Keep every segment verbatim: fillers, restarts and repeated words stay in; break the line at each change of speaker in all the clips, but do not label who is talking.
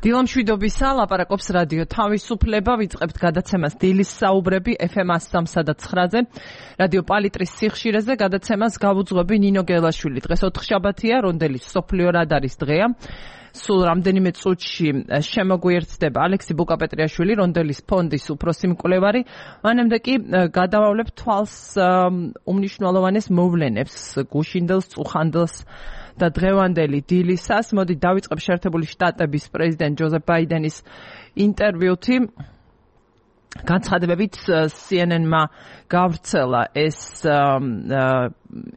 დილამშვიდობისა, ლაპარაკობს რადიო თავისუფლება, ვიწყებთ გადაცემას დილის საუბრები ეფ ემ one oh three point nine-ზე, რადიო პალიტრის სიხშირეზე, გადაცემას გავუძღვები ნინო გელაშვილი. დღეს ოთხშაბათია, რონდელის სოფლიო რადარის დღეა. სულ რამდენიმე წუთში შემოგვიერთდება ალექსი ბუკაპეტრიაშვილი, რონდელის ფონდის უფროსი მკვლევარი. მანამდე კი გადავავლებ თვალს უმნიშვნელოვანეს მოვლენებს, გუშინდელს, წუხანდელს და დღევანდელი დილისას. მოდი დავიწყებ შეერთებული შტატების პრეზიდენტ ჯოზეფ ბაიდენის ინტერვიუთი. განცხადებებით C N N-მა გავრცელა ეს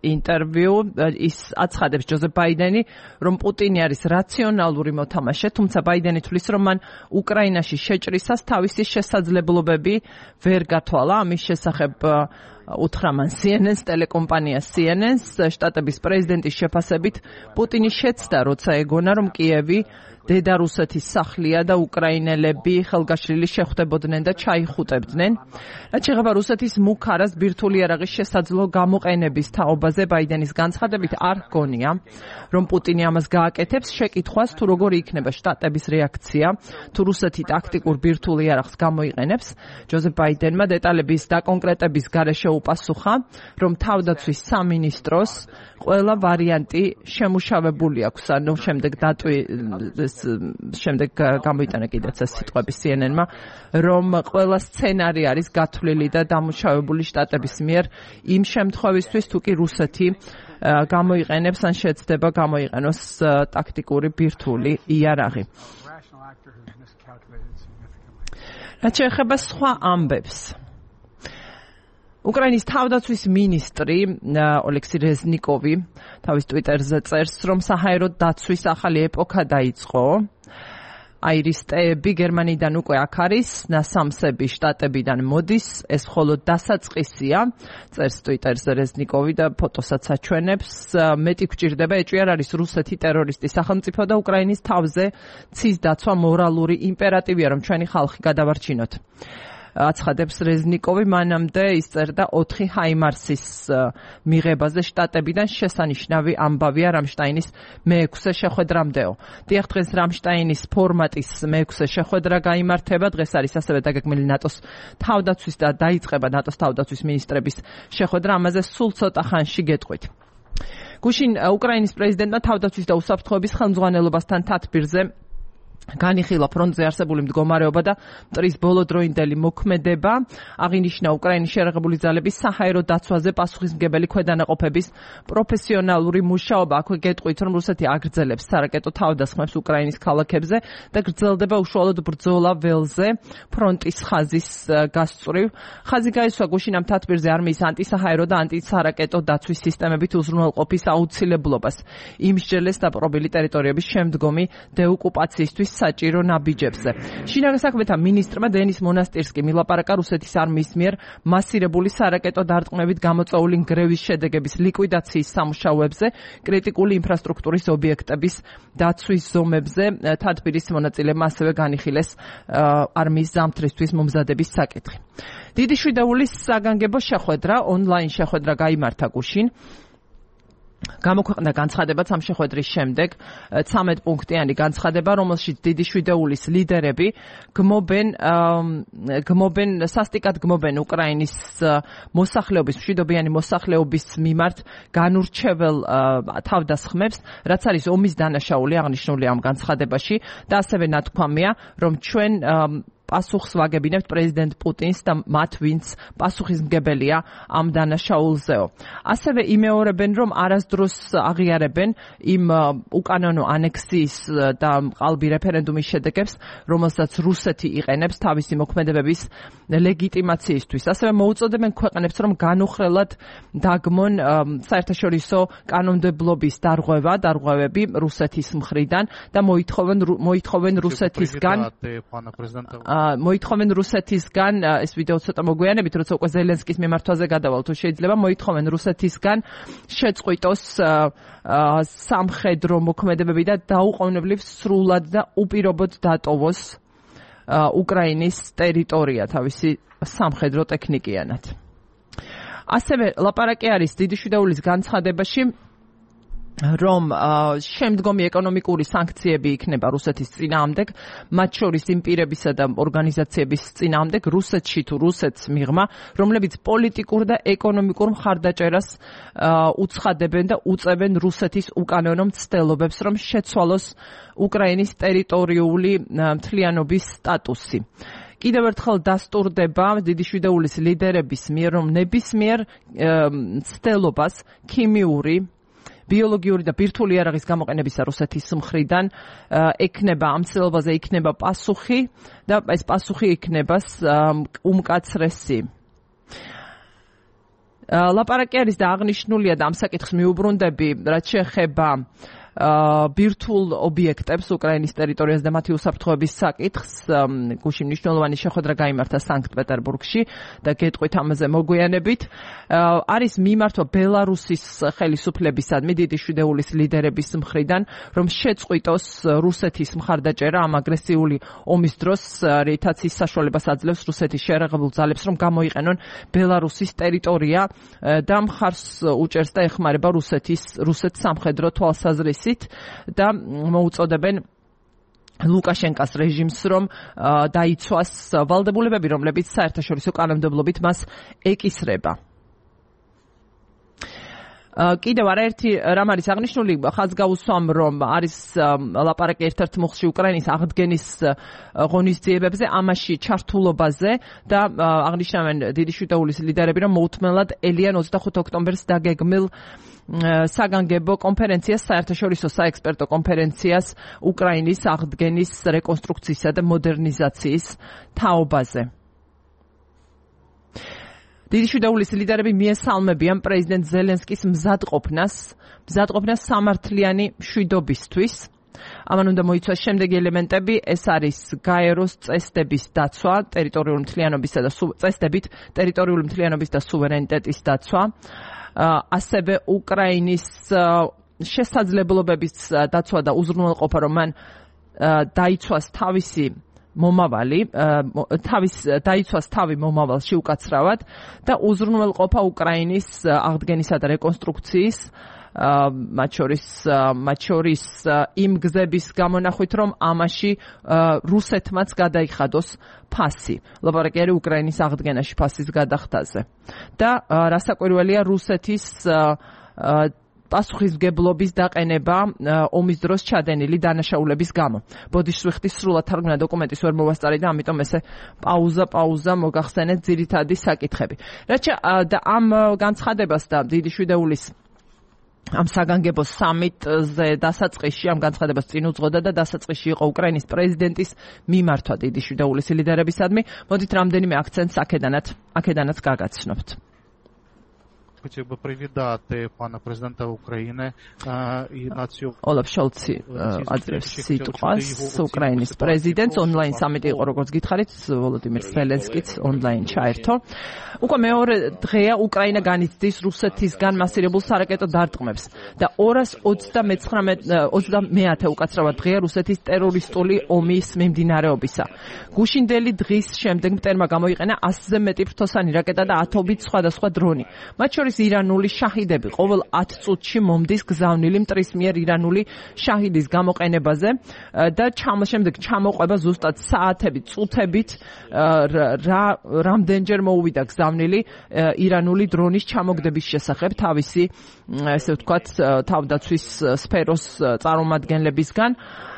ინტერვიუ. ის აცხადებს ჯოზეფ ბაიდენი, რომ პუტინი არის რაციონალური მოთამაშე, თუმცა ბაიდენი თვლის, რომ მან უკრაინაში შეჭრისას თავისი შესაძლებლობები ვერ გათვალა. ამის შესახებ უთხრა მან C N N-ს, ტელეკომპანია C N N-ს. შტატების პრეზიდენტის შეფასებით პუტინი შეცდა, როცა ეგონა, რომ კიევი დედა რუსეთის სახლია და უკრაინელები ხელგაშლილი შეხვდებოდნენ და ჩაიხუტებდნენ. რაც შეეხება რუსეთის მუქ არას ბირთვული იარაღის შესაძლო გამოყენების თაობაზე, ბაიდენის განცხადებით არ ჰგონია, რომ პუტინი ამას გააკეთებს. შეკითხვას, თუ როგორი იქნება შტატების რეაქცია, თუ რუსეთი ტაქტიკურ ბირთვულ იარაღს გამოიყენებს, ჯოზეფ ბაიდენმა დეტალების დაკონკრეტების გარეშე უპასუხა, რომ თავდაცვის სამინისტროს ყველა ვარიანტი შემუშავებული აქვს. ანუ შემდეგ დატვი შემდეგ გამოიტანა კიდეც ეს სიტყვები C N N-მა, რომ ყველა სცენარი არის გათვლილი და დამუშავებული შტატების მიერ იმ შემთხვევისთვის, თუ კი რუსეთი გამოიყენებს ან შეცდება გამოიყენოს ტაქტიკური ბირთვული იარაღი. რაც შეეხება სხვა ამბებს, უკრაინის თავდაცვის მინისტრი ოლექსი რეზნიკოვი თავის ტვიტერზე წერს, რომ საჰაერო დაცვის ახალი ეპოქა დაიწყო. აირისტეები გერმანიიდან უკვე აქ არის, ნასამსები შტატებიდან მოდის, ეს მხოლოდ დასაწყისია, წერს ტვიტერზე რეზნიკოვი და ფოტოსაც აჩვენებს. მეტი გვჭირდება, ეჭვი არ არის რუსეთი ტერორისტი სახელმწიფო და უკრაინის თავზე ცის დაცვა მორალური იმპერატივია, რომ ჩვენი ხალხი გადავარჩინოთ. აცხადებს რეზნიკოვი. მანამდე ის წერდა ოთხი ჰაიმარსის მიღებაზე შტატებიდან. შესანიშნავი ამბავია რამშტაინის მეექვსე შეხვედრამდეო. დიახ, დღეს რამშტაინის ფორმატის მეექვსე შეხვედრა გაიმართება. დღეს არის ასევე დაგეგმილი ნატოს თავდაცვის და დაიწყება ნატოს თავდაცვის მინისტრების შეხვედრა. ამაზე სულ ცოტა ხანში გეტყვით. გუშინ უკრაინის პრეზიდენტმა თავდაცვის და უსაფრთხოების ხელმძღვანელობასთან თათბირზე განიხილა ფრონტზე არსებული მდგომარეობა და მტრის ბოლოდროინდელი მოქმედება. აღინიშნა უკრაინის შერაღებული ძალების საჰაერო დაცვაზე პასუხისმგებელი ქვედანაყოფების პროფესიონალური მუშაობა. აქვე გეტყვით, რომ რუსეთი აგრძელებს სარაკეტო თავდასხმებს უკრაინის ქალაქებზე და გრძელდება უშუალოდ ბრძოლა ველზე ფრონტის ხაზის გასწვრივ. ხაზი გაისვა გუშინ ამ თათბირზე არმიის ანტისაჰაერო და ანტისარაკეტო დაცვის სისტემებით უზრუნველყოფის აუცილებლობას. იმსჯელეს დაპყრობილი ტერიტორიების შემდგომი დეოკუპაციისთვის საჭირო ნაბიჯებზე. შინაგან საქმეთა მინისტრმა დენის მონასტირსკიმ ილაპარაკა რუსეთის არმიის მიერ მასირებული სარაკეტო დარტყმებით გამოწვეული ნგრევის შედეგების ლიკვიდაციის სამუშაოებზე, კრიტიკული ინფრასტრუქტურის ობიექტების დაცვის ზომებზე. თათბირის მონაწილეებმა ასევე განიხილეს არმიის ზამთრისთვის მომზადების საკითხი. დიდი შვიდეულის საგანგებო შეხვედრა, ონლაინ შეხვედრა გაიმართა გუშინ. გამოქვეყნდა განცხადებაც ამ შეხვედრის შემდეგ, ცამეტ პუნქტიანი განცხადება, რომელშიც დიდი შვიდეულის ლიდერები გმობენ გმობენ სასტიკად გმობენ უკრაინის მოსახლეობის, მშვიდობიანი მოსახლეობის მიმართ განურჩეվել თავდასხმებს, რაც არის ომის დანაშაული, აღნიშნული ამ განცხადებაში და ასევე ნათქვამია, რომ ჩვენ პასუხს ვაგებინებთ პრეზიდენტ პუტინს და მათ, ვინც პასუხისმგებელია ამ დანაშაულზეო. ასევე იმეორებენ, რომ არასდროს აღიარებენ იმ უკანონო ანექსიის და ყალბი რეფერენდუმის შედეგებს, რომელსაც რუსეთი იყენებს თავისი მოქმედებების ლეგიტიმაციისთვის. ასევე მოუწოდებენ ქვეყნებს, რომ განუხრელად დაგმონ საერთაშორისო კანონმდებლობის დარღვევა, დარღვევები რუსეთის მხრიდან და მოითხოვენ მოითხოვენ რუსეთისგან მოითხოვენ რუსეთისგან, ეს ვიდეო ცოტა მოგვიანებით, როცა უკვე ზელენსკის მიმართვაზე გადავალ, თუ შეიძლება, მოითხოვენ რუსეთისგან შეწყვიტოს სამხედრო მოქმედებები და დაუყოვნებლივ სრულად და უპირობოდ დატოვოს უკრაინის ტერიტორია თავისი სამხედრო ტექნიკიანად. ასევე ლაპარაკი არის დიდი შვიდეულის განცხადებაში რომ შემდგომი ეკონომიკური სანქციები იქნება რუსეთის წინააღმდეგ, მათ შორის იმ პირებისა და ორგანიზაციების წინააღმდეგ რუსეთში თუ რუსეთს მიღმა, რომლებიც პოლიტიკურ და ეკონომიკურ მხარდაჭერას უცხადებენ და უწევენ რუსეთის უკანონო მცდელობებს, რომ შეცვალოს უკრაინის ტერიტორიული მთლიანობის სტატუსი. კიდევ ერთხელ დასტურდება დიდიშვიდეულის ლიდერების მიერ, რომ ნებისმიერ მცდელობას ქიმიური ბიოლოგიური და ბირთვული იარაღის გამოყენებისა რუსეთის მხრიდან ექნება ამ ცდილობაზე იქნება პასუხი და ეს პასუხი იქნება უმკაცრესი. ლაპარაკი არის და აღნიშნულია და ამ საკითხს მიუბრუნდები, რაც შეეხება ბირთვულ ობიექტებს უკრაინის ტერიტორიაზე და მათი უსაფრთხოების საკითხს. გუშინ მნიშვნელოვანი შეხვედრა გაიმართა სანქტ-პეტერბურგში და გეტყვით ამაზე მოგვიანებით. არის მიმართვა ბელარუსის ხელისუფლებისადმი დიდიშვიდეულის ლიდერების მხრიდან, რომ შეწყვიტოს რუსეთის მხარდაჭერა ამ აგრესიული ომის დროს, რითაც ის საშუალებას აძლევს რუსეთის შეერაღებულ ძალებს, რომ გამოიყენონ ბელარუსის ტერიტორია და მხარს უჭერს და ეხმარება რუსეთის რუსეთს სამხედრო თვალსაზრისით და მოუწოდებენ ლუკაშენკას რეჟიმს, რომ დაიცვას ვალდებულებები, რომლებიც საერთაშორისო კანონმდებლობით მას ეკისრება. კიდევ არაერთი რამ არის აღნიშნული, ხაზს გაუსვამ, რომ არის ლაპარაკი ერთ-ერთ მუხლში უკრაინის აღდგენის ღონისძიებებზე, ამაში ჩართულობაზე და აღნიშნავენ დიდიშვიდეულის ლიდერები, რომ მოუთმენლად ელიან ოცდახუთი ოქტომბერს დაგეგმილ საგანგებო კონფერენციას, საერთაშორისო საექსპერტო კონფერენციას უკრაინის აღდგენის, რეკონსტრუქციისა და მოდერნიზაციის თაობაზე. დიდიშვიდეულის ლიდერები მიესალმებიან პრეზიდენტ ზელენსკის მზადყოფნას, მზადყოფნას სამართლიანი მშვიდობისთვის. ამან უნდა მოიცვას შემდეგი ელემენტები, ეს არის გაეროს წესდების დაცვა, ტერიტორიული მთლიანობისა და წესდებით ტერიტორიული მთლიანობის და სუვერენიტეტის დაცვა, ასევე უკრაინის შესაძლებლობების დაცვა და უზრუნველყოფა, რომ მან დაიცვას თავისი მომავალი, თავის დაიცვას თავი მომავალში უკაცრავად და უზრუნველყოფა უკრაინის აღდგენისა და რეკონსტრუქციის, მათ შორის მათ შორის იმ გზების გამონახვით, რომ ამაში რუსეთმაც გადაიხადოს ფასი. ლაპარაკი არის უკრაინის აღდგენაში ფასის გადახდაზე. და რასაკვირველია, რუსეთის პასუხისმგებლობის დაყენება ომის დროს ჩადენილი დანაშაულების გამო. ბოდიშს ვიხდი სრულად თარგმნა დოკუმენტის ვერ მოვასწარი და ამიტომ ესე პაუზა პაუზა მოგახსენეთ ძირითადი საკითხები. რაც და ამ განცხადებას და დიდიშვიდეულის ამ საგანგებო სამიტზე დასაწყისში ამ განცხადებას წინ უძღოდა და დასაწყისში იყო უკრაინის პრეზიდენტის მიმართვა დიდიშვიდეულის ლიდერებისადმი. მოდით რამდენიმე აქცენტს აქედანაც აქედანაც გაგაცნობთ.
Хотел бы привітать пана президента України і націю.
Олаф Шольცი აძლევს სიტყვას უკრაინის პრეზიდენტს ონლაინ სამიტი იყო, როგორც გითხარით, ვოლოდიმირ ზელენსკიც ონლაინ ჩაერთო. უკვე მეორე დღეა უკრაინა განიცდის რუსეთისგან მასირებულ სარაკეტო დარტყმებს და ორას ოცდამეათე უკაცრავად დღეა რუსეთის ტერორისტული ომის მიმდინარეობისა. გუშინდელი დღის შემდეგ მტერმა გამოიყენა ასზე მეტი ფრთოსანი რაკეტა და ათობით სხვადასხვა დრონი. მათ შორის ირანული შაჰიდები ყოველ ათ წუთში მომდის გზავნილი მტრის მიერ ირანული შაჰიდის გამოყენებაზე და შემდეგ ჩამოყვება ზუსტად საათებით, წუთებით რამდენჯერ მოუვიდა გზავნილი ირანული დრონის ჩამოგდების შესახებ თავისი, ესე ვთქვათ, თავდაცვის სფეროს წარმომადგენლებისგან.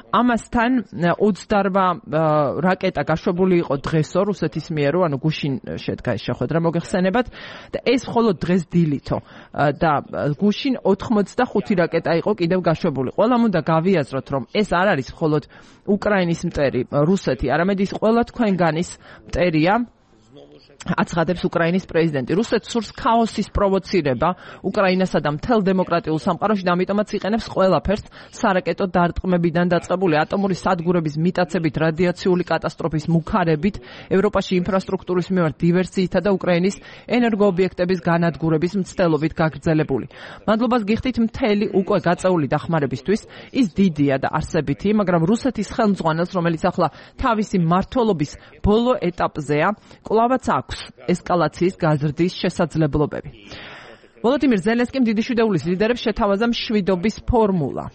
ამასთან ოცდაორ რაკეტა გაშვებული იყო დღესო რუსეთის მიერო, ანუ გუშინ შედგა ეს შეხვედრა მოგეხსენებათ და ეს მხოლოდ დღეს დილითო და გუშინ ოთხმოცდახუთი რაკეტა იყო კიდევ გაშვებული. ყველამ უნდა გავიაზროთ, რომ ეს არ არის მხოლოდ უკრაინის მტერი რუსეთი, არამედ ის ყველა თქვენგანის მტერია, აცხადებს უკრაინის პრეზიდენტი. რუსეთს სურს ქაოსის პროვოცირება უკრაინასა და მთელ დემოკრატიულ სამყაროში და ამიტომაც იყენებს ყველაფერს სარაკეტო დარტყმებიდან დაწყებული ატომური სადგურების მიტაცებით, რადიაციული კატასტროფის მუქარებით, ევროპაში ინფრასტრუქტურის მიმართ დივერსიითა და უკრაინის ენერგოობიექტების განადგურების მცდელობით გაგრძელებული. მადლობას გიხდით მთელი უკვე გაწეული დახმარებისთვის. ის დიდია და არსებითი, მაგრამ რუსეთის ხელმძღვანელს, რომელიც ახლა თავისი მმართველობის ბოლო ეტაპზეა, კვლავაც აქვს ესკალაციის გაზრდის შესაძლებლობები. ვოლოდიმირ ზელენსკიმ დიდი შვიდეულის ლიდერებს შეთავაზა მშვიდობის ფორმულა.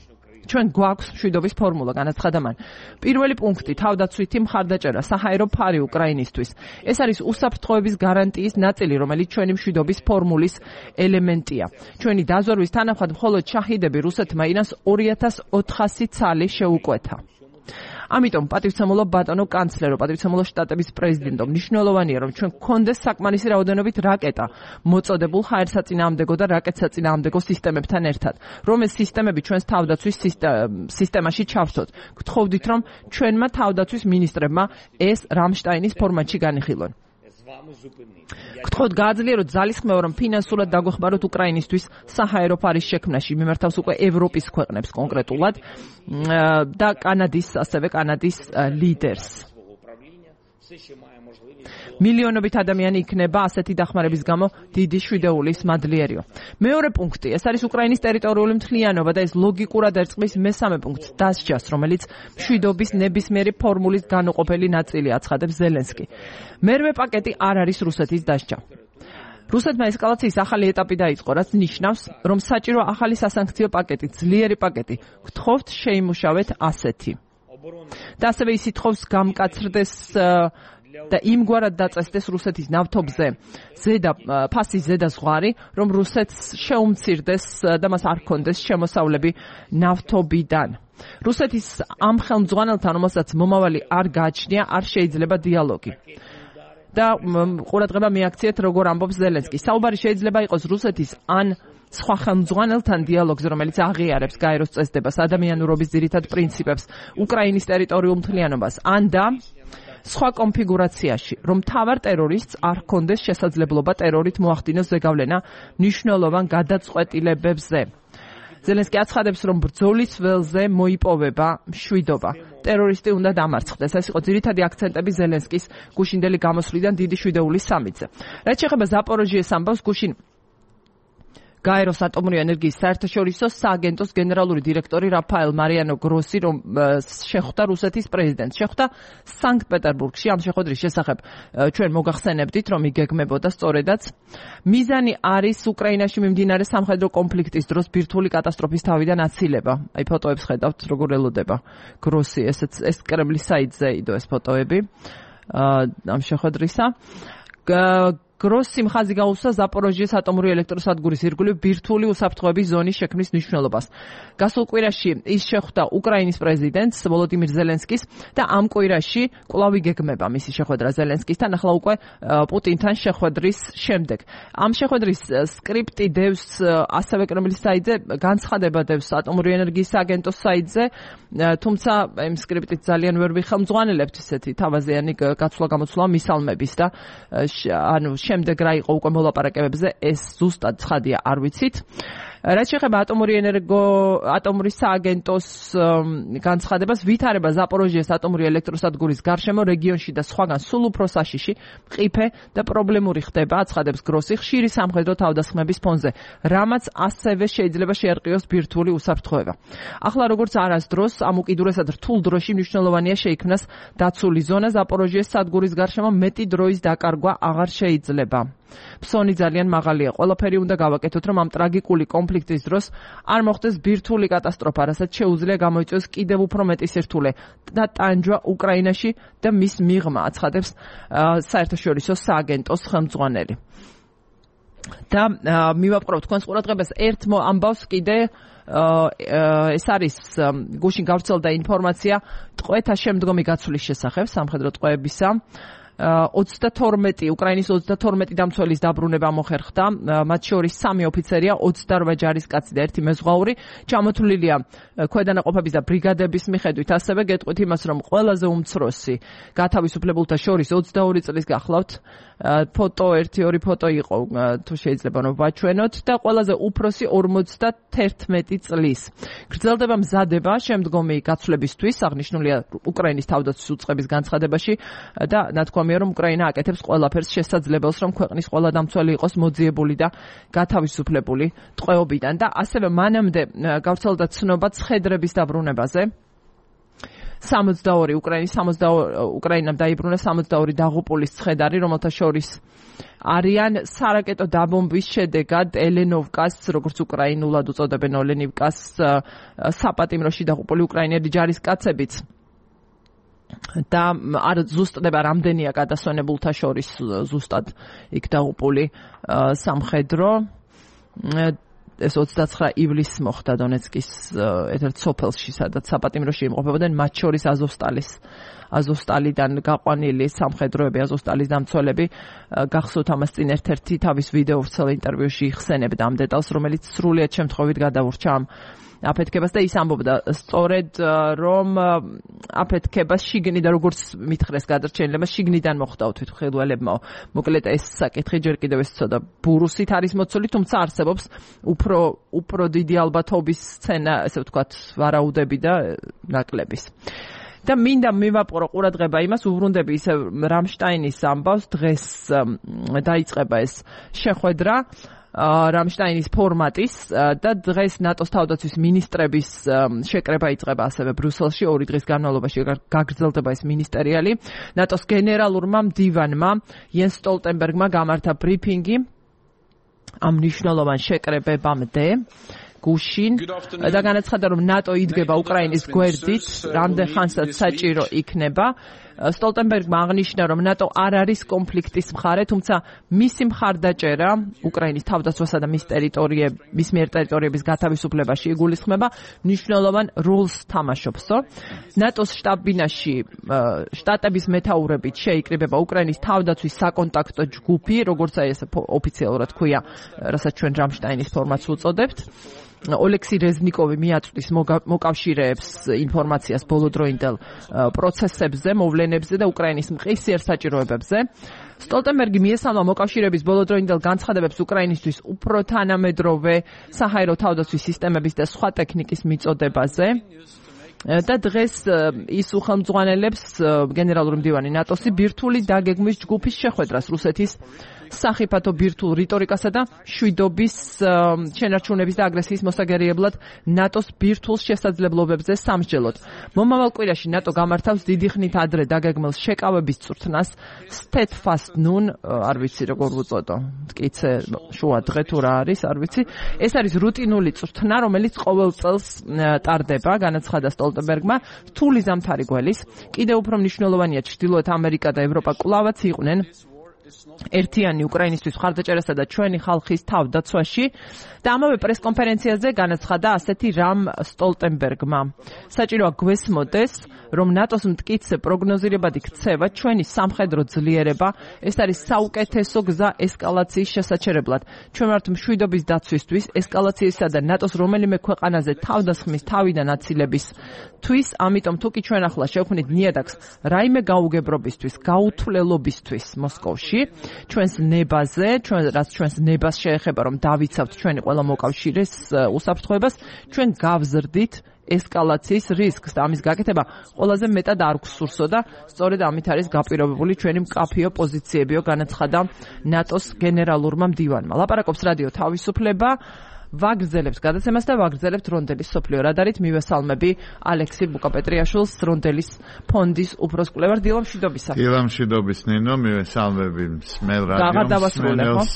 ჩვენ გვაქვს მშვიდობის ფორმულა, განაცხადა მან. პირველი პუნქტი თავდაცვითი მხარდაჭერა, საჰაერო ფარი უკრაინისთვის. ეს არის უსაფრთხოების გარანტიის ნაწილი, რომელიც ჩვენი მშვიდობის ფორმულის ელემენტია. ჩვენი დაზვერვის თანახმად მხოლოდ შაჰიდები რუსეთმა ირანს ორი ათას ოთხასი ცალი შეუკვეთა. ამიტომ პატივცემულო ბატონო კანცლერო, პატივცემულო შტატების პრეზიდენტო, მნიშვნელოვანია რომ ჩვენ გქონდეს საკმარისი რაოდენობით რაკეტა, მოწოდებულ ჰაერსაწინააღმდეგო და რაკეტსაწინააღმდეგო სისტემებთან ერთად, რომ ეს სისტემები ჩვენს თავდაცვის სისტემაში ჩავსოთ. გთხოვდით რომ ჩვენმა თავდაცვის მინისტრებმა ეს რამშტაინის ფორმატში განიხილონ. გთხოვთ გააძლიეროთ ძალისხმევა, რომ ფინანსურად დაგვეხმაროთ უკრაინისთვის საჰაერო ფარის შექმნაში, მიმართავს უკვე ევროპის ქვეყნებს კონკრეტულად და კანადის, ასევე კანადის ლიდერს. მილიონობით ადამიანი იქნება ასეთი დახმარების გამო დიდი შვიდეულის მადლიერიო. მეორე პუნქტი, ეს არის უკრაინის ტერიტორიული მთლიანობა და ეს ლოგიკურად ერწყმის მესამე პუნქტს დასჯას, რომელიც მშვიდობის ნებისმიერი ფორმულის განუყოფელი ნაწილია, აცხადებს ზელენსკი. მერვე პაკეტი არ არის რუსეთის დასჯა. რუსეთმა ესკალაციის ახალი ეტაპი დაიწყო, რაც ნიშნავს, რომ საჭირო ახალი სასანქციო პაკეტი, ძლიერი პაკეტი. გთხოვთ შეიმუშავეთ ასეთი. და ასევე ის ითხოვს გამკაცრდეს და იმგვარად დაწესდეს რუსეთის ნავთობზე ზედა ფასის ზედა ზღვარი, რომ რუსეთს შეუმცირდეს და მას არ ჰქონდეს შემოსავლები ნავთობიდან. რუსეთის ამ ხელმძღვანელთან, რომელსაც მომავალი არ გააჩნია, არ შეიძლება დიალოგი. და ყურადღება მიაქციეთ, როგორ ამბობს ზელენსკი. საუბარი შეიძლება იყოს რუსეთის ან სხვა ხელმძღვანელთან დიალოგზე, რომელიც აღიარებს გაეროს წესდებას, ადამიანურობის ძირითად პრინციპებს, უკრაინის ტერიტორიულ მთლიანობას, ან და სხვა კონფიგურაციაში, რომ მთავარ ტერორისტს არ ჰქონდეს შესაძლებლობა ტერორით მოახდინოს ზეგავლენა მნიშვნელოვან გადაწყვეტილებებზე. ზელენსკი აცხადებს, რომ ბრძოლის ველზე მოიპოვება მშვიდობა. ტერორისტი უნდა დამარცხდეს. ეს იყო ძირითადი აქცენტები ზელენსკის გუშინდელი გამოსვლიდან დიდი შვიდეულის სამიტზე. რაც შეეხება ზაპოროჟიეს ამბავს, გუშინ გაეროს ატომური ენერგიის საერთაშორისო სააგენტოს გენერალური დირექტორი რაფაელ მარიანო გროსი, რომ შეხვდა რუსეთის პრეზიდენტს. შეხვდა სანქტ-პეტერბურგში. ამ შეხვედრის შესახებ ჩვენ მოგახსენებდით, რომ იგეგმებოდა სწორედაც. მიზანი არის უკრაინაში მიმდინარე სამხედრო კონფლიქტის დროს ბირთვული კატასტროფის თავიდან აცილება. აი ფოტოებს ხედავთ, როგორ ელოდება გროსი. ესეც ეს კრემლის საიტზე იდო ეს ფოტოები ამ შეხვედრისა. გროსი მხაზი გაუსვა ზაპოროჟიეს ატომური ელექტროსადგურის ირგვლივ ბირთვული უსაფრთხოების ზონის შექმნის მნიშვნელობას. გასულ კვირაში ის შეხვდა უკრაინის პრეზიდენტს ვოლოდიმირ ზელენსკის და ამ კვირაში კვლავ იგეგმება მისი შეხვედრა ზელენსკისთან, ახლა უკვე პუტინთან შეხვედრის შემდეგ. ამ შეხვედრის სკრიპტი დევს ასევე კრემლის საიტზე, განცხადება დევს ატომური ენერგიის სააგენტოს საიტზე, თუმცა იმ სკრიპტით ძალიან ვერ ვიხელმძღვანელებთ ისეთი თავაზიანი გაცვლა-გამოცვლა მისალმების და ანუ შემდეგ რა იყო უკვე მოლაპარაკებებზე, ეს ზუსტად ცხადია, არ ვიცით. რაც შეეხება ატომური ენერგო ატომური სააგენტოს განცხადებას, ვითარება ზაპოროჟიეს ატომური ელექტროსადგურის გარშემო რეგიონში და სხვაგან სულ უფრო საშიში, მყიფე და პრობლემური ხდება, აცხადებს გროსი ხშირი სამხედრო თავდასხმების ფონზე, რამაც ასევე შეიძლება შეერყიოს ბირთვული უსაფრთხოება. ახლა როგორც არასდროს ამ უკიდურესად რთულ დროში მნიშვნელოვანია შეიქმნას დაცული ზონა ზაპოროჟიეს სადგურის გარშემო, მეტი დროის დაკარგვა აღარ შეიძლება. ფსონი ძალიან მაღალია. ყველაფერი უნდა გავაკეთოთ, რომ ამ ტრაგიკული კონფლიქტის დროს არ მოხდეს ბირთვული კატასტროფა, რასაც შეუძლია გამოიწვიოს კიდევ უფრო მეტი სირთულე და ტანჯვა უკრაინაში და მის მიღმა, აცხადებს საერთაშორისო სააგენტოს ხელმძღვანელი. და მივაპყრობ თქვენს ყურადღებას ერთ ამბავს კიდე, ეს არის გუშინ გავრცელდა ინფორმაცია ტყვეთა შემდგომი გაცვლის შესახებ, სამხედრო ტყვეებისა. ოცდათორმეტი უკრაინის ოცდათორმეტი დამცველის დაბრუნება მოხერხდა, მათ შორის სამი ოფიცერია, ოცდაორ ჯარისკაცი და ერთი მეზღვაური. ჩამოთვლილია ქვედანაყოფების და ბრიგადების მიხედვით, ასევე გეტყვით იმას, რომ ყველაზე უმცროსი გათავისუფლებულთა შორის ოცდაორი წლის გახლავთ. ფოტო, ერთი ორი ფოტო იყო, თუ შეიძლება რომ ვაჩვენოთ, და ყველაზე უფროსი ორმოცდათერთმეტი წლის. გრძელდება მზადება შემდგომი გაცვლებისთვის, აღნიშნულია უკრაინის თავდაცვის უწყების განცხადებაში და ნათქვამია, რომ უკრაინა აკეთებს ყველაფერს შესაძლებელს, რომ ქვეყნის ყველა დამცველი იყოს მოძიებული და გათავისუფლებული ტყვეობიდან. და ასევე მანამდე გავრცელდა ცნობა ცხედრების დაბრუნებაზე. სამოცდაორი უკრაინის სამოცდაორი უკრაინამ დაიბრუნა სამოცდაორი დაღუპულის ცხედარი, რომელთა შორის არიან სარაკეტო დაბომბვის შედეგად ელენოვკას, როგორც უკრაინულად უწოდებენ ოლენივკას, საპატიმროში დაღუპული უკრაინელი ჯარისკაცებიც და არ ზუსტდება რამდენია გადასვენებულთა შორის ზუსტად იქ დაღუპული სამხედრო. ეს ოცდაცხრა ივლისს მოხდა დონეცკის ერთ-ერთ სოფელში, სადაც საპატიმროში იმყოფებოდნენ, მათ შორის აზოვსტალის აზოვსტალიდან გაყვანილი სამხედროები, აზოვსტალის დამცველები. გახსოვთ ამას წინ ერთ-ერთი თავის ვიდეო ვრცელ ინტერვიუში იხსენებდა ამ დეტალს, რომელიც სრულიად შემთხვევით გადავურჩა ამ აფეთქებას და ის ამბობდა სწორედ რომ აფეთქებას შიგნიდან როგორც მითხრეს გადარჩენილება შიგნიდან მოხდა თვითმხილველებმა. მოკლედ ეს საკითხი ჯერ კიდევ ეს ცოტა ბურუსით არის მოცული, თუმცა არსებობს უფრო უფრო დიდი ალბათობის სცენა, ესე ვთქვათ, ვარაუდები და ნაკლების. და მინდა მივაპყრო ყურადღება იმას, უბრუნდები ისე რამშტაინის ამბავს, დღეს დაიწყება ეს შეხვედრა რამშტაინის ფორმატის და დღეს ნატოს თავდაცვის მინისტრების შეკრება იწყება ასევე ბრიუსელში, ორი დღის განმავლობაში გაგრძელდება ეს მინისტერიალი. ნატოს გენერალურმა მდივანმა იენს სტოლტენბერგმა გამართა ბრიფინგი ამ მნიშვნელოვან შეკრებებამდე გუშინ და განაცხადა, რომ ნატო იდგება უკრაინის გვერდით, რამდენ ხანსაც საჭირო იქნება. სტოლტენბერგმა აღნიშნა, რომ ნატო არ არის კონფლიქტის მხარე, თუმცა მისი მხარდაჭერა უკრაინის თავდაცვასა და მის ტერიტორიების, მის მიერ ტერიტორიების გათავისუფლებაში იგულისხმება, მნიშვნელოვან როლს თამაშობსო. ნატოს შტაბ-ბინაში შტატების მეთაურებით შეიკრიბება უკრაინის თავდაცვის საკონტაქტო ჯგუფი, როგორც აი ეს ოფიციალურად ქვია, რასაც ჩვენ რამშტაინის ფორმატს უწოდებთ. ოლექსი რეზნიკოვი მიაწვდის მოკავშირეებს ინფორმაციას ბოლოდროინდელ პროცესებზე, მოვლენებზე და უკრაინის მყისიერ საჭიროებებზე. სტოლტენბერგი მიესალმა მოკავშირეების ბოლოდროინდელ განცხადებებს უკრაინისთვის უფრო თანამედროვე საჰაერო თავდაცვის სისტემების და სხვა ტექნიკის მიწოდებაზე. და დღეს ის უხელმძღვანელებს გენერალური მდივანი ნატოსი ბირთვული დაგეგმვის ჯგუფის შეხვედრას რუსეთის სახიფათო ბირთვულ რიტორიკასა და შვიდობის შენარჩუნების და აგრესიის მოსაგერიებლად ნატოს ბირთვულ შესაძლებლობებზე სამსჯელოდ. მომავალ კვირაში ნატო გამართავს დიდი ხნით ადრე დაგეგმილ შეკავების წვრთნას Steadfast Noon, არ ვიცი როგორ უწოდო, მტკიცე შუა დღე თუ რა არის, არ ვიცი. ეს არის რუტინული წვრთნა, რომელიც ყოველ წელს ტარდება, განაცხადა სტოლტენბერგმა, რთული ზამთარი გველის. კიდევ უფრო მნიშვნელოვანია ჩრდილოეთ ამერიკა და ევროპა კვლავაც იყვნენ ერთიანი უკრაინისთვის მხარდაჭერასა და ჩვენი ხალხის თავდაცვაში და ამავე პრესკონფერენციაზე განაცხადა ასეთი რამ სტოლტენბერგმა. საჭიროა გვესმოდეს, რომ ნატოს მტკიცე პროგნოზირებადი ქცევა ჩვენი სამხედრო ძლიერება, ეს არის საუკეთესო გზა ესკალაციის შესაჩერებლად. ჩვენ ვართ მშვიდობის დაცვისთვის, ესკალაციისა და ნატოს რომელიმე ქვეყანაზე თავდასხმის თავიდან აცილებისთვის, ამიტომ თუ კი ჩვენ ახლა შევქმნით ნიადაგს რაიმე გაუგებრობისთვის, გაუთვლელობისთვის მოსკოვში, ჩვენს ნებაზე, ჩვენ რაც ჩვენს ნებას შეეხება, რომ დავიცავთ ჩვენი ყველა მოკავშირეს უსაფრთხოებას, ჩვენ გავზრდით ესკალაციის რისკს და ამის გაკეთება ყველაზე მეტად არ გვსურსო და სწორედ ამით არის გაპირობებული ჩვენი მკაფიო პოზიციებიო, განაცხადა ნატოს გენერალურმა მდივანმა. ლაპარაკობს რადიო თავისუფლება, ვაგრძელებთ გადაცემას და ვაგრძელებთ რონდელის სოფლიო რადარით. მივესალმები ალექსი ბუკაპეტრიაშვილს, რონდელის ფონდის უფროს კვლევარ. დილა მშვიდობისა.
დილა მშვიდობის ნინო, მივესალმები მსმელ რადიოს.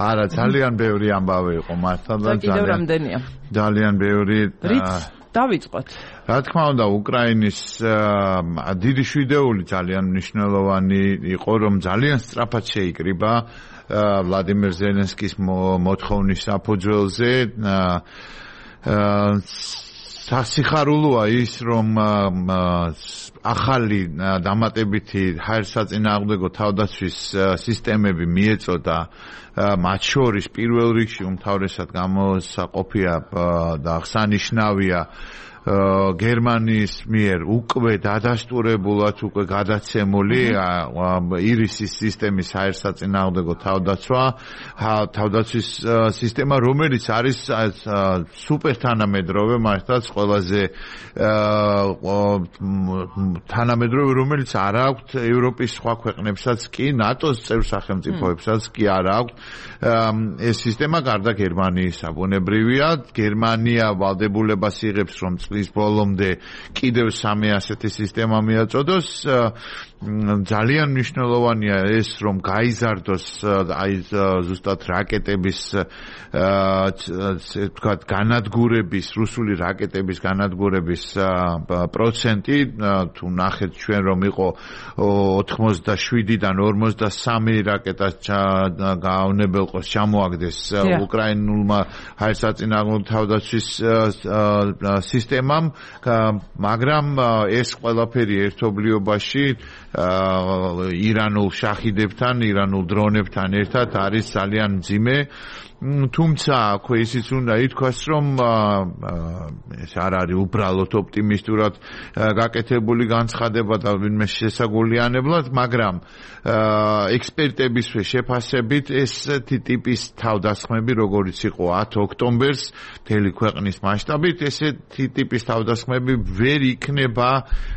არა, ძალიან ბევრი ამბავი იყო მართლა და
კიდევ რამდენია?
ძალიან ბევრი.
რით დავიწყოთ?
რა თქმა უნდა, უკრაინის დიდი შვიდეული ძალიან მნიშვნელოვანი იყო, რომ ძალიან სწრაფად შეიკრიბა ვლადიმერ ზელენსკის მოთხოვნის საფუძველზე. სასიხარულოა ის, რომ ახალი დამატებითი ჰაერსაწინააღმდეგო თავდაცვის სისტემები მიეწოდა, მათ შორის პირველ რიგში უმთავრესად გამოსაყოფია და აღსანიშნავია გერმანიის მიერ უკვე დადასტურებულად უკვე გადაცემული ირისის სისტემის ჰაერსაწინააღმდეგო თავდაცვა, თავდაცვის სისტემა, რომელიც არის სუპერ თანამედროვე, მართლაც ყველაზე თანამედროვე, რომელიც არ აქვს ევროპის სხვა ქვეყნებსაც კი, ნატოს წევრ სახელმწიფოებსაც კი არ აქვს. ეს სისტემა გარდა გერმანიის აბუნებრივია. გერმანია ვალდებულებას იღებს, რომ წლის ბოლომდე კიდევ სამი ასეთი სისტემა მიაწოდოს. ძალიან მნიშვნელოვანია ეს, რომ გაიზარდოს აი ზუსტად რაკეტების ასე ვთქვათ განადგურების, რუსული რაკეტების განადგურების პროცენტი. თუ ნახეთ ჩვენ რომ იყო ოთხმოცდაშვიდიდან ორმოცდასამი რაკეტა გაუნებელყოს ჩამოაგდეს უკრაინულმა ჰაერსაწინააღმდეგო თავდაცვის სისტემამ, მაგრამ ეს ყველაფერი ერთობლიობაში ირანულ შაჰიდებთან, ირანულ დრონებთან ერთად არის ძალიან მძიმე. თუმცა აქვე ისიც უნდა ითქვას, რომ ეს არ არის უბრალოდ ოპტიმისტურად გაკეთებული განცხადება და ვინმე შესაგულიანებლად, მაგრამ ექსპერტების შეფასებით ესეთი ტიპის თავდასხმები, როგორც იყო ათი ოქტომბერს მთელი ქვეყნის მასშტაბით, ესეთი ტიპის თავდასხმები ვერ იქნება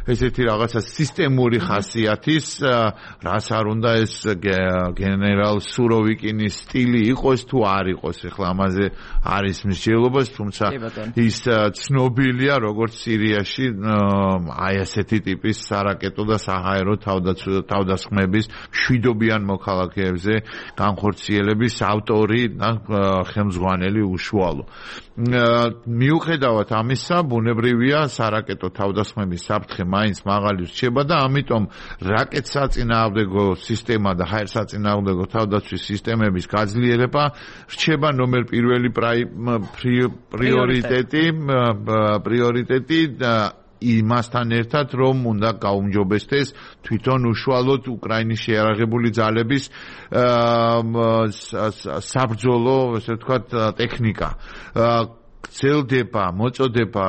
ესეთი რაღაცა სისტემური ხასიათის, რაც არ უნდა ეს გენერალ სუროვიკინის სტილი იყოს თუ არ იყოს, ეხლა ამაზე არის მსჯელობა, თუმცა ის ცნობილია როგორც სირიაში აი ასეთი ტიპის სარაკეტო და საჰაერო თავდასხმების მშვიდობიან მოქალაქეებზე განხორციელების ავტორი და ხელმძღვანელი უშუალო. მიუხედავად ამისა, ბუნებრივია სარაკეტო თავდასხმების საფრთხე მაინც მაღალი რჩება და ამიტომ რაკეტსაწინააღმდეგო სისტემა და ჰაერსაწინააღმდეგო თავდაცვის სისტემების გაძლიერება რჩება ნომერ პირველი პრიორიტეტი პრიორიტეტი იმასთან ერთად, რომ უნდა გაუმჯობესდეს თვითონ უშუალოდ უკრაინის შეიარაღებული ძალების საბრძოლო, ესე ვთქვათ, ტექნიკა. გრძელდება მოწოდება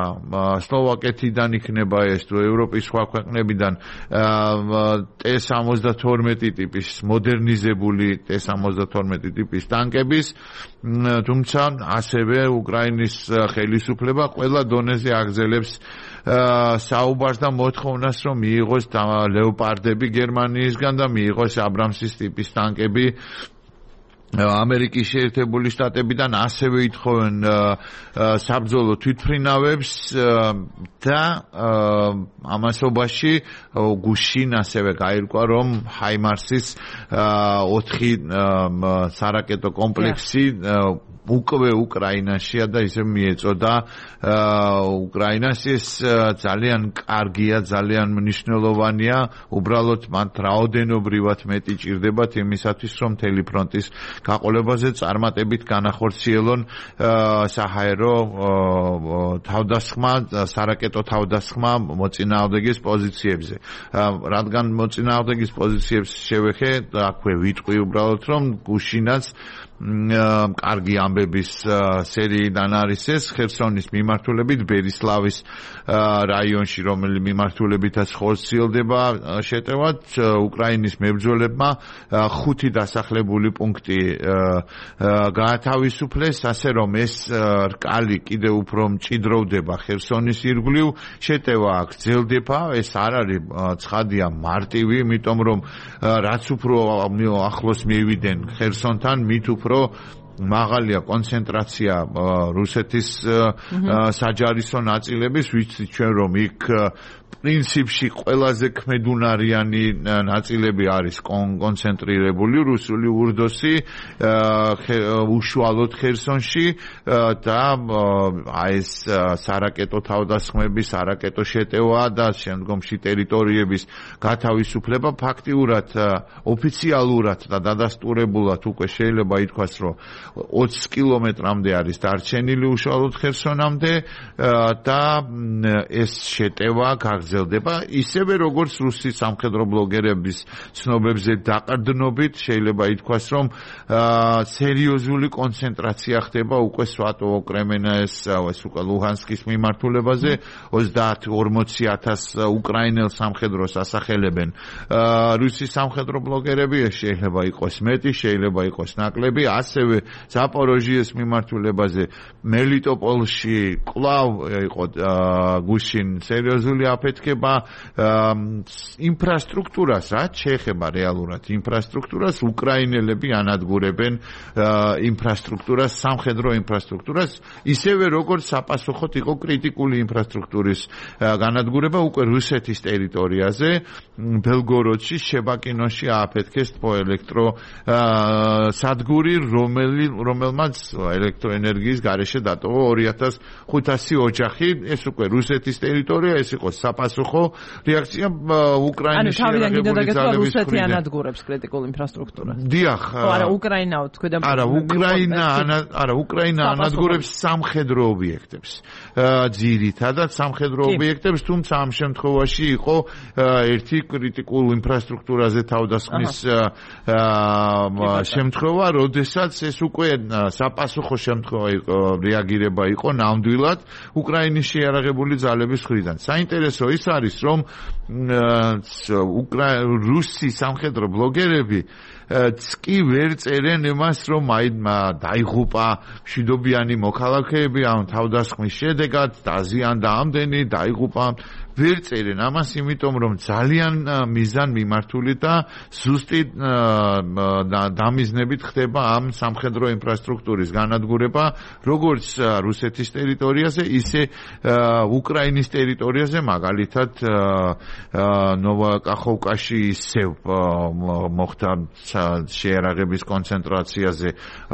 სლოვაკეთიდან იქნება ეს თუ ევროპის სხვა ქვეყნებიდან ტე სამოცდათორმეტი ტიპის მოდერნიზებული ტე სამოცდათორმეტი ტიპის ტანკების, თუმცა ასევე უკრაინის ხელისუფლება ყველა დონეზე აგრძელებს საუბარს და მოთხოვნას, რომ მიიღოს ლეოპარდები გერმანიისგან და მიიღოს აბრამსის ტიპის ტანკები ამერიკის შეერთებული შტატებიდან, ასევე ითხოვენ საბრძოლო თვითმფრინავებს და ამასობაში გუშინ ასევე გაირკვა, რომ ჰაიმარსის ოთხი სარაკეტო კომპლექსი უკვე უკრაინაშია და ისე მიეწოდა უკრაინას. ეს ძალიან კარგია, ძალიან მნიშვნელოვანია, უბრალოდ მათ რაოდენობრივად მეტი ჭირდებათ იმისათვის, რომ მთელი ფრონტის გაყოლებაზე წარმატებით განახორციელონ საჰაერო თავდასხმა, სარაკეტო თავდასხმა მოწინააღმდეგის პოზიციებზე. რადგან მოწინააღმდეგის პოზიციებს შევეხე, აქვე ვიტყვი უბრალოდ, რომ გუშინაც კარგი ამბების სერიიდან არის ეს ხერსონის მიმართულებით ბერისლავის რაიონში, რომელი მიმართულებითაც ხორციელდება შეტევად, უკრაინის მებრძოლებმა ხუთი დასახლებული პუნქტი გაათავისუფლეს, ასე რომ ეს რკალი კიდევ უფრო მჭიდროვდება ხერსონის ირგვლივ. შეტევა აქ გრძელდება, ეს არ არის ცხადია მარტივი, იმიტომ რომ რაც უფრო ახლოს მივიდნენ ხერსონთან, მით უფრო მაღალია კონცენტრაცია რუსეთის საჯარისო ნაწილების, ვიცით ჩვენ რომ იქ პრინციპში ყველაზე ქმედუნარიანი ნაწილები არის კონცენტრირებული რუსული ურდოსი უშუალოდ ხერსონში და აი ეს სარაკეტო თავდასხმები, სარაკეტო შეტევა და შემდგომში ტერიტორიების გათავისუფლება ფაქტიურად ოფიციალურად და დადასტურებულად უკვე შეიძლება ითქვას, რომ ოცი კილომეტრამდე არის დარჩენილი უშუალოდ ხერსონამდე და ეს შეტევა გაგრძელდება ისევე როგორც რუსი სამხედრო ბლოგერების ცნობებზე დაყრდნობით შეიძლება ითქვას, რომ სერიოზული კონცენტრაცია ხდება უკვე სვატოვო კრემენას ეს უკვე ლუჰანსკის მიმართულებაზე ოცდაათი ორმოცი ათას უკრაინელ სამხედროს ასახელებენ რუსი სამხედრო ბლოგერები, შეიძლება იყოს მეტი, შეიძლება იყოს ნაკლები, ასევე ზაპოროჟიეს მიმართულებაზე მელიტოპოლში კვლავ იყო გუშინ სერიოზული აფეთქება აფეთქება ინფრასტრუქტურას, რაც შეეხება რეალურად ინფრასტრუქტურას, უკრაინელები ანადგურებენ ინფრასტრუქტურას, სამხედრო ინფრასტრუქტურას, ისევე როგორც საპასუხოდ იყო კრიტიკული ინფრასტრუქტურის განადგურება უკვე რუსეთის ტერიტორიაზე, ბელგოროდში, შებაკინოში ააფეთქეს თბოელექტრო სადგური, რომელმაც ელექტროენერგიის გარეშე დატოვა ორი ათას ხუთასი ოჯახი, ეს უკვე რუსეთის ტერიტორია, ეს იყო საპასუხო რეაქცია უკრაინის შეერაღებული ძალების მხრიდან.
რუსეთი ანადგურებს კრიტიკულ ინფრასტრუქტურას.
დიახ.
არა, უკრაინაო თქვენ და
არა, უკრაინა არა, უკრაინა ანადგურებს სამხედრო ობიექტებს. ძირითადად სამხედრო ობიექტებს, თუმცა ამ შემთხვევაში იყო ერთი კრიტიკულ ინფრასტრუქტურაზე თავდასხმის შემთხვევა, როდესაც ეს უკვე საპასუხო შემთხვევა იყო, რეაგირება იყო ნამდვილად უკრაინის შეიარაღებული ძალების მხრიდან. საინტერესო ის არის, რომ რუსი სამხედრო ბლოგერები კი ვერ წერენ იმას, რომ აი დაიღუპა მშვიდობიანი მოქალაქეები ამ თავდასხმის შედეგად, დაზიანდა ამდენი, დაიღუპა. ვერ წერენ ამას, იმიტომ რომ ძალიან მიზან მიმართული და ზუსტი დამიზნებით ხდება ამ სამხედრო ინფრასტრუქტურის განადგურება, როგორც რუსეთის ტერიტორიაზე, ისე უკრაინის ტერიტორიაზე, მაგალითად ნოვაკახოვკაში ისევ მოხდა შეერაღების კონცენტრაციაზე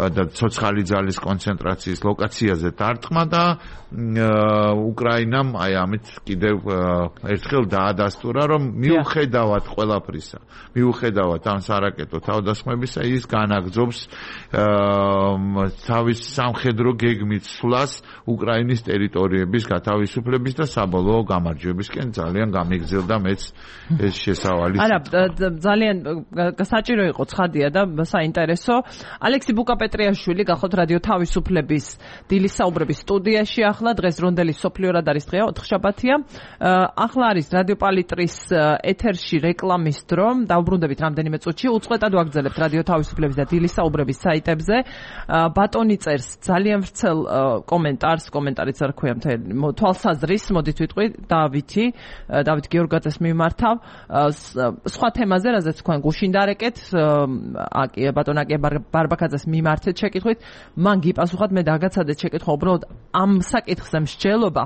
და ცოცხალი ძალის კონცენტრაციის ლოკაციაზე დარტყმა და უკრაინამ აი ამით კიდევ ერთხელ დაადასტურა, რომ მიუხედავად ყველაფრისა, მიუხედავად ამ სარაკეტო თავდასხმებისა, ის განაგრძობს თავის სამხედრო გეგმით სვლას უკრაინის ტერიტორიების გათავისუფლების და საბოლოო გამარჯვებისკენ. ძალიან გამიგრძელდა მეც ეს შესავალი.
არა, ძალიან საჭირო იყო ცხადია და საინტერესო. ალექსი ბუკაპეტრიაშვილი გახოთ რადიო თავისუფლების დილის საუბრების სტუდიაში ახლა, დღეს რონდელი სოფლიო რადარის დღეა, ოთხშაბათია. ახლა არის რადიო პალიტრის ეთერში რეკლამის დრო. დავბრუნდებით რამდენიმე წუთში. უწყვეტად ვაგრძელებთ რადიო თავისუფლების და დილის საუბრების საიტებზე. ბატონი წერს ძალიან ვრცელ კომენტარს, კომენტარიც არ ქვია მთელი თვალსაზრის, მოდით ვიტყვი დავითი, დავით გეორგაძეს მიმართავ. სხვა თემაზე, რაზეც თქვენ გუშინ დარეკეთ, აკი ბატონ აკი ბარბაკაძეს მიმართეთ შეკითხვით, მან გიპასუხათ, მე დაგაცადეთ შეკითხვა, უბრალოდ ამ საკითხზე მსჯელობა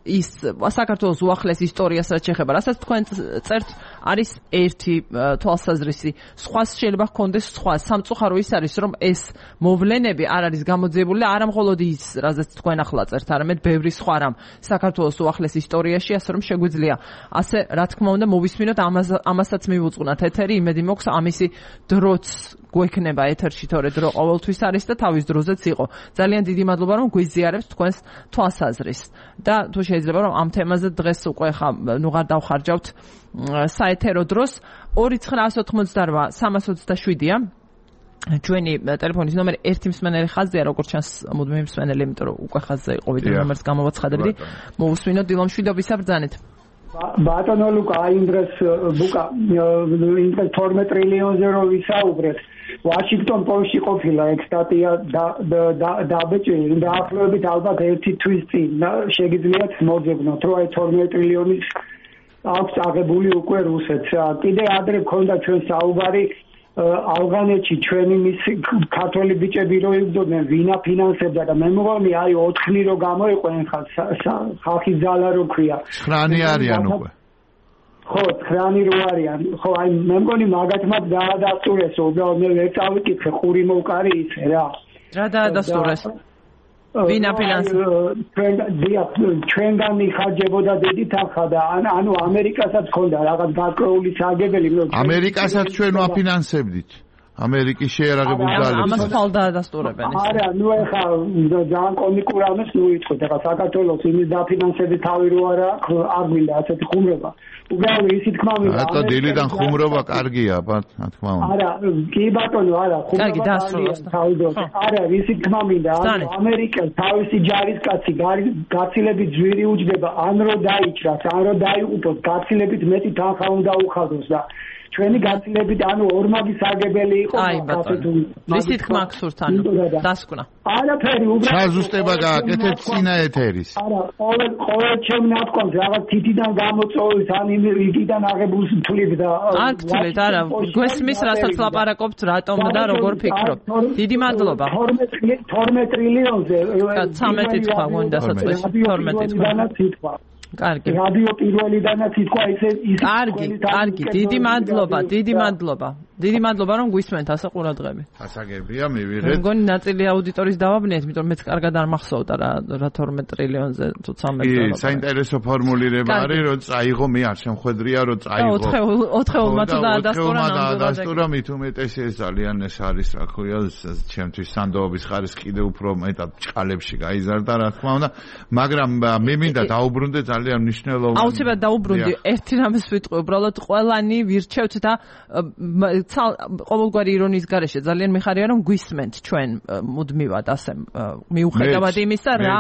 ის საქართველოს უახლეს ისტორიას რაც შეეხება, რასაც თქვენ წერთ, არის ერთი თვალსაზრისი. სხვა შეიძლება ჰქონდეს სხვა. სამწუხარო ის არის, რომ ეს მოვლენები არ არის გამოძიებული და არა მხოლოდ ის, რასაც თქვენ ახლა წერთ, არამედ ბევრი სხვა რამ საქართველოს უახლეს ისტორიაში, ასე რომ შეგვიძლია ასე, რა თქმა უნდა, მოვისმინოთ, ამასაც მივუძღვნათ ეთერი, იმედი მაქვს ამისი დროც გვექნება ეთერში, თორე დრო ყოველთვის არის და თავის დროზეც იყო. ძალიან დიდი მადლობა, რომ გვიზიარებთ თქვენს თვალსაზრისს. და თუ შეიძლება რომ ამ თემაზე დღეს უკვე ხა ნუ ღარ დავხარჯავთ საეთერო დროს. ორი ცხრაასი ოთხმოცდარვა სამას ოცდაშვიდია ჩვენი ტელეფონის ნომერი. ერთი მსმენელი ხაზია, როგორც ჩანს მუდმივი მსმენელი, იმიტომ რომ უკვე ხაზზე იყო, ვიდრე ნომერს გამოვაცხადებდი. მოусვინოთ დილომ მშვიდობისა ბრძანეთ.
ბატონო ლუკა, აი იმ დროს ბუკა თორმეტ ტრილიონზე რო ვისაუბრეთ, ვაშინგტონ პოსტში ყოფილა ეგ სტატია დაბეჭილი, დაახლოებით ალბათ ერთი თვის წინ შეგიძლიათ მოძებნოთ, რომ აი თორმეტ ტრილიონის აქვს აღებული უკვე რუსეთს. კიდე ადრე ქონდა ჩვენ საუბარი ავღანეთში ჩვენი მის ქართველი ბიჭები რო იბრძოდნენ, ვინ აფინანსებდა და მე მგონი აი ოთხნი რო გამოიყვნენ ხალხის ძალა რო ქვია.
ცხრანი არიან უკვე.
ხო, ცხრანი რო არიან. ხო, აი მე მგონი მაგათმაც დაადასტურეს, უბრალოდ მე ვერ წავიკითხე, ხური მოვკარი ისე რა.
რა დაადასტურეს? ვინ აფინანსებდა? ჩვენგან მიხარჯებოდა დიდი თანხა და ანუ ამერიკასაც ჰქონდა რაღაც გარკვეული საგებელი.
ამერიკასაც ჩვენ ვაფინანსებდით. ამერიკის შეერაღებული ძალები.
ამას ხვალ დაადასტურებენ.
არა, ნუ ეხა ძალიან კომიკურ ამას ნუ იტყვით, ეხა საქართველოს იმის დაფინანსების თავი რო არა, არ გვინდა ასეთი ხუმრობა. უბრალოდ ისი თქმა მინდა.
რატო დილიდან ხუმრობა კარგია, რა თქმა უნდა.
არა, კი ბატონო, არა, ხუმრობა კარგია. არა, ისი თქმა მინდა, ამერიკას თავისი ჯარისკაცი გაცილებით ძვირი უჯდება, ან რო დაიჭრას, ან რო დაიღუპოს, გაცილებით მეტი თანხა უნდა უხადოს და ჩვენი გაცილებით ანუ ორმაგის აგებელი იყო
აი ბატონო ვისი თქმა გსურთ ანუ დასკვნა
არაფერი უბრალოდ
საზუსტება გააკეთეთ წინა ეთერის
არა ყოველ ყოველ ჩემ ნათქვამს რაღაც თითიდან გამოწვევის ან იმიდან აღებულს თვლით და
არ თვლით არა გვესმის რასაც ლაპარაკობთ რატომ და როგორ ფიქრობ დიდი მადლობა
თორმეტ ტრილიონზე
ცამეტი თქვა გონდა საწვეში თორმეტი თქვა კარგი რადიო პირველიდანაც ითქვა ესე ის კარგი კარგი დიდი მადლობა დიდი მადლობა დიდი მადლობა რომ გვისმენთ ასე ყურადღები
ასაგებია მივიღეთ
მგონი ნაწილი აუდიტორიის დავაბნიეთ იმიტომ მეც კარგად არ მახსოვდა რა რა თორმეტ ტრილიონზე თუ ცამეტ
კი საინტერესო ფორმულირება არის რომ წაიღო მე არ შემხედრია რომ წაიღო
ოთხეულმა თუ დაადასტურა
დაადასტურა მით უმეტესი ეს ძალიან ეს არის რა ქვია ჩემთვის სანდოობის ხარის კიდე უფრო მეტად ჭყალებში გაიზარდა რა თქმა უნდა მაგრამ მე მინდა დაუბრუნდე ძალიან მნიშვნელოვანი
აუცილებლად დაუბრუნდი ერთი რამეს ვიტყვი უბრალოდ ყველანი ვირჩევთ და ყოველგვარი ირონიის გარეშე ძალიან მიხარია რომ გვისმენთ ჩვენ მუდმივად ასე მიუხედავად იმისა რა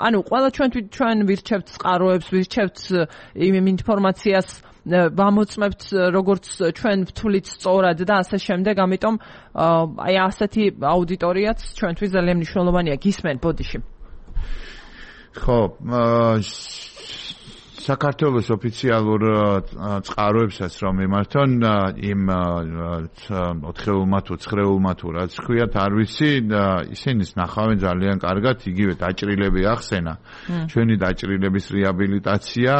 ანუ ყველა ჩვენ ჩვენ ვირჩევთ წყაროებს ვირჩევთ იმ ინფორმაციას ვამოწმებთ როგორც ჩვენ ვთვლით სწორად და ასე შემდეგ ამიტომ აი ასეთი აუდიტორიაც ჩვენთვის ძალიან მნიშვნელოვანია გისმენ ბოდიში
ხო საქართველოს ოფიციალურ წყაროებსაც რომ მიმართონ იმ ოთხეულმა თუ ცხრეულმა თუ რაც ქვიათ არ ვიცი ისინიც ნახავენ ძალიან კარგად იგივე დაჭრილები ახსენა ჩვენი დაჭრილების რეაბილიტაცია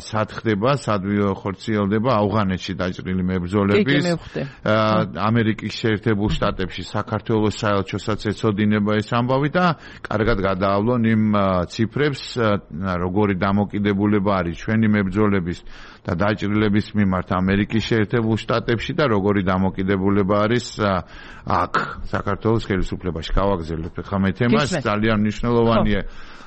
სად ხდება სად ხორციელდება ავღანეთში დაჭრილი მებრძოლების ამერიკის შეერთებულ შტატებში საქართველოს საელჩოსაც ეცოდინება ეს ამბავი და კარგად გადაავლონ იმ ციფრებს როგორი დამოკიდებული არის ჩვენი მებრძოლების და დაჭრილების მიმართ ამერიკის შეერთებულ შტატებში და როგორი დამოკიდებულება არის აქ საქართველოს ხელისუფლებაში. გავაგზავნებთ ხა მე თემას ძალიან მნიშვნელოვანია.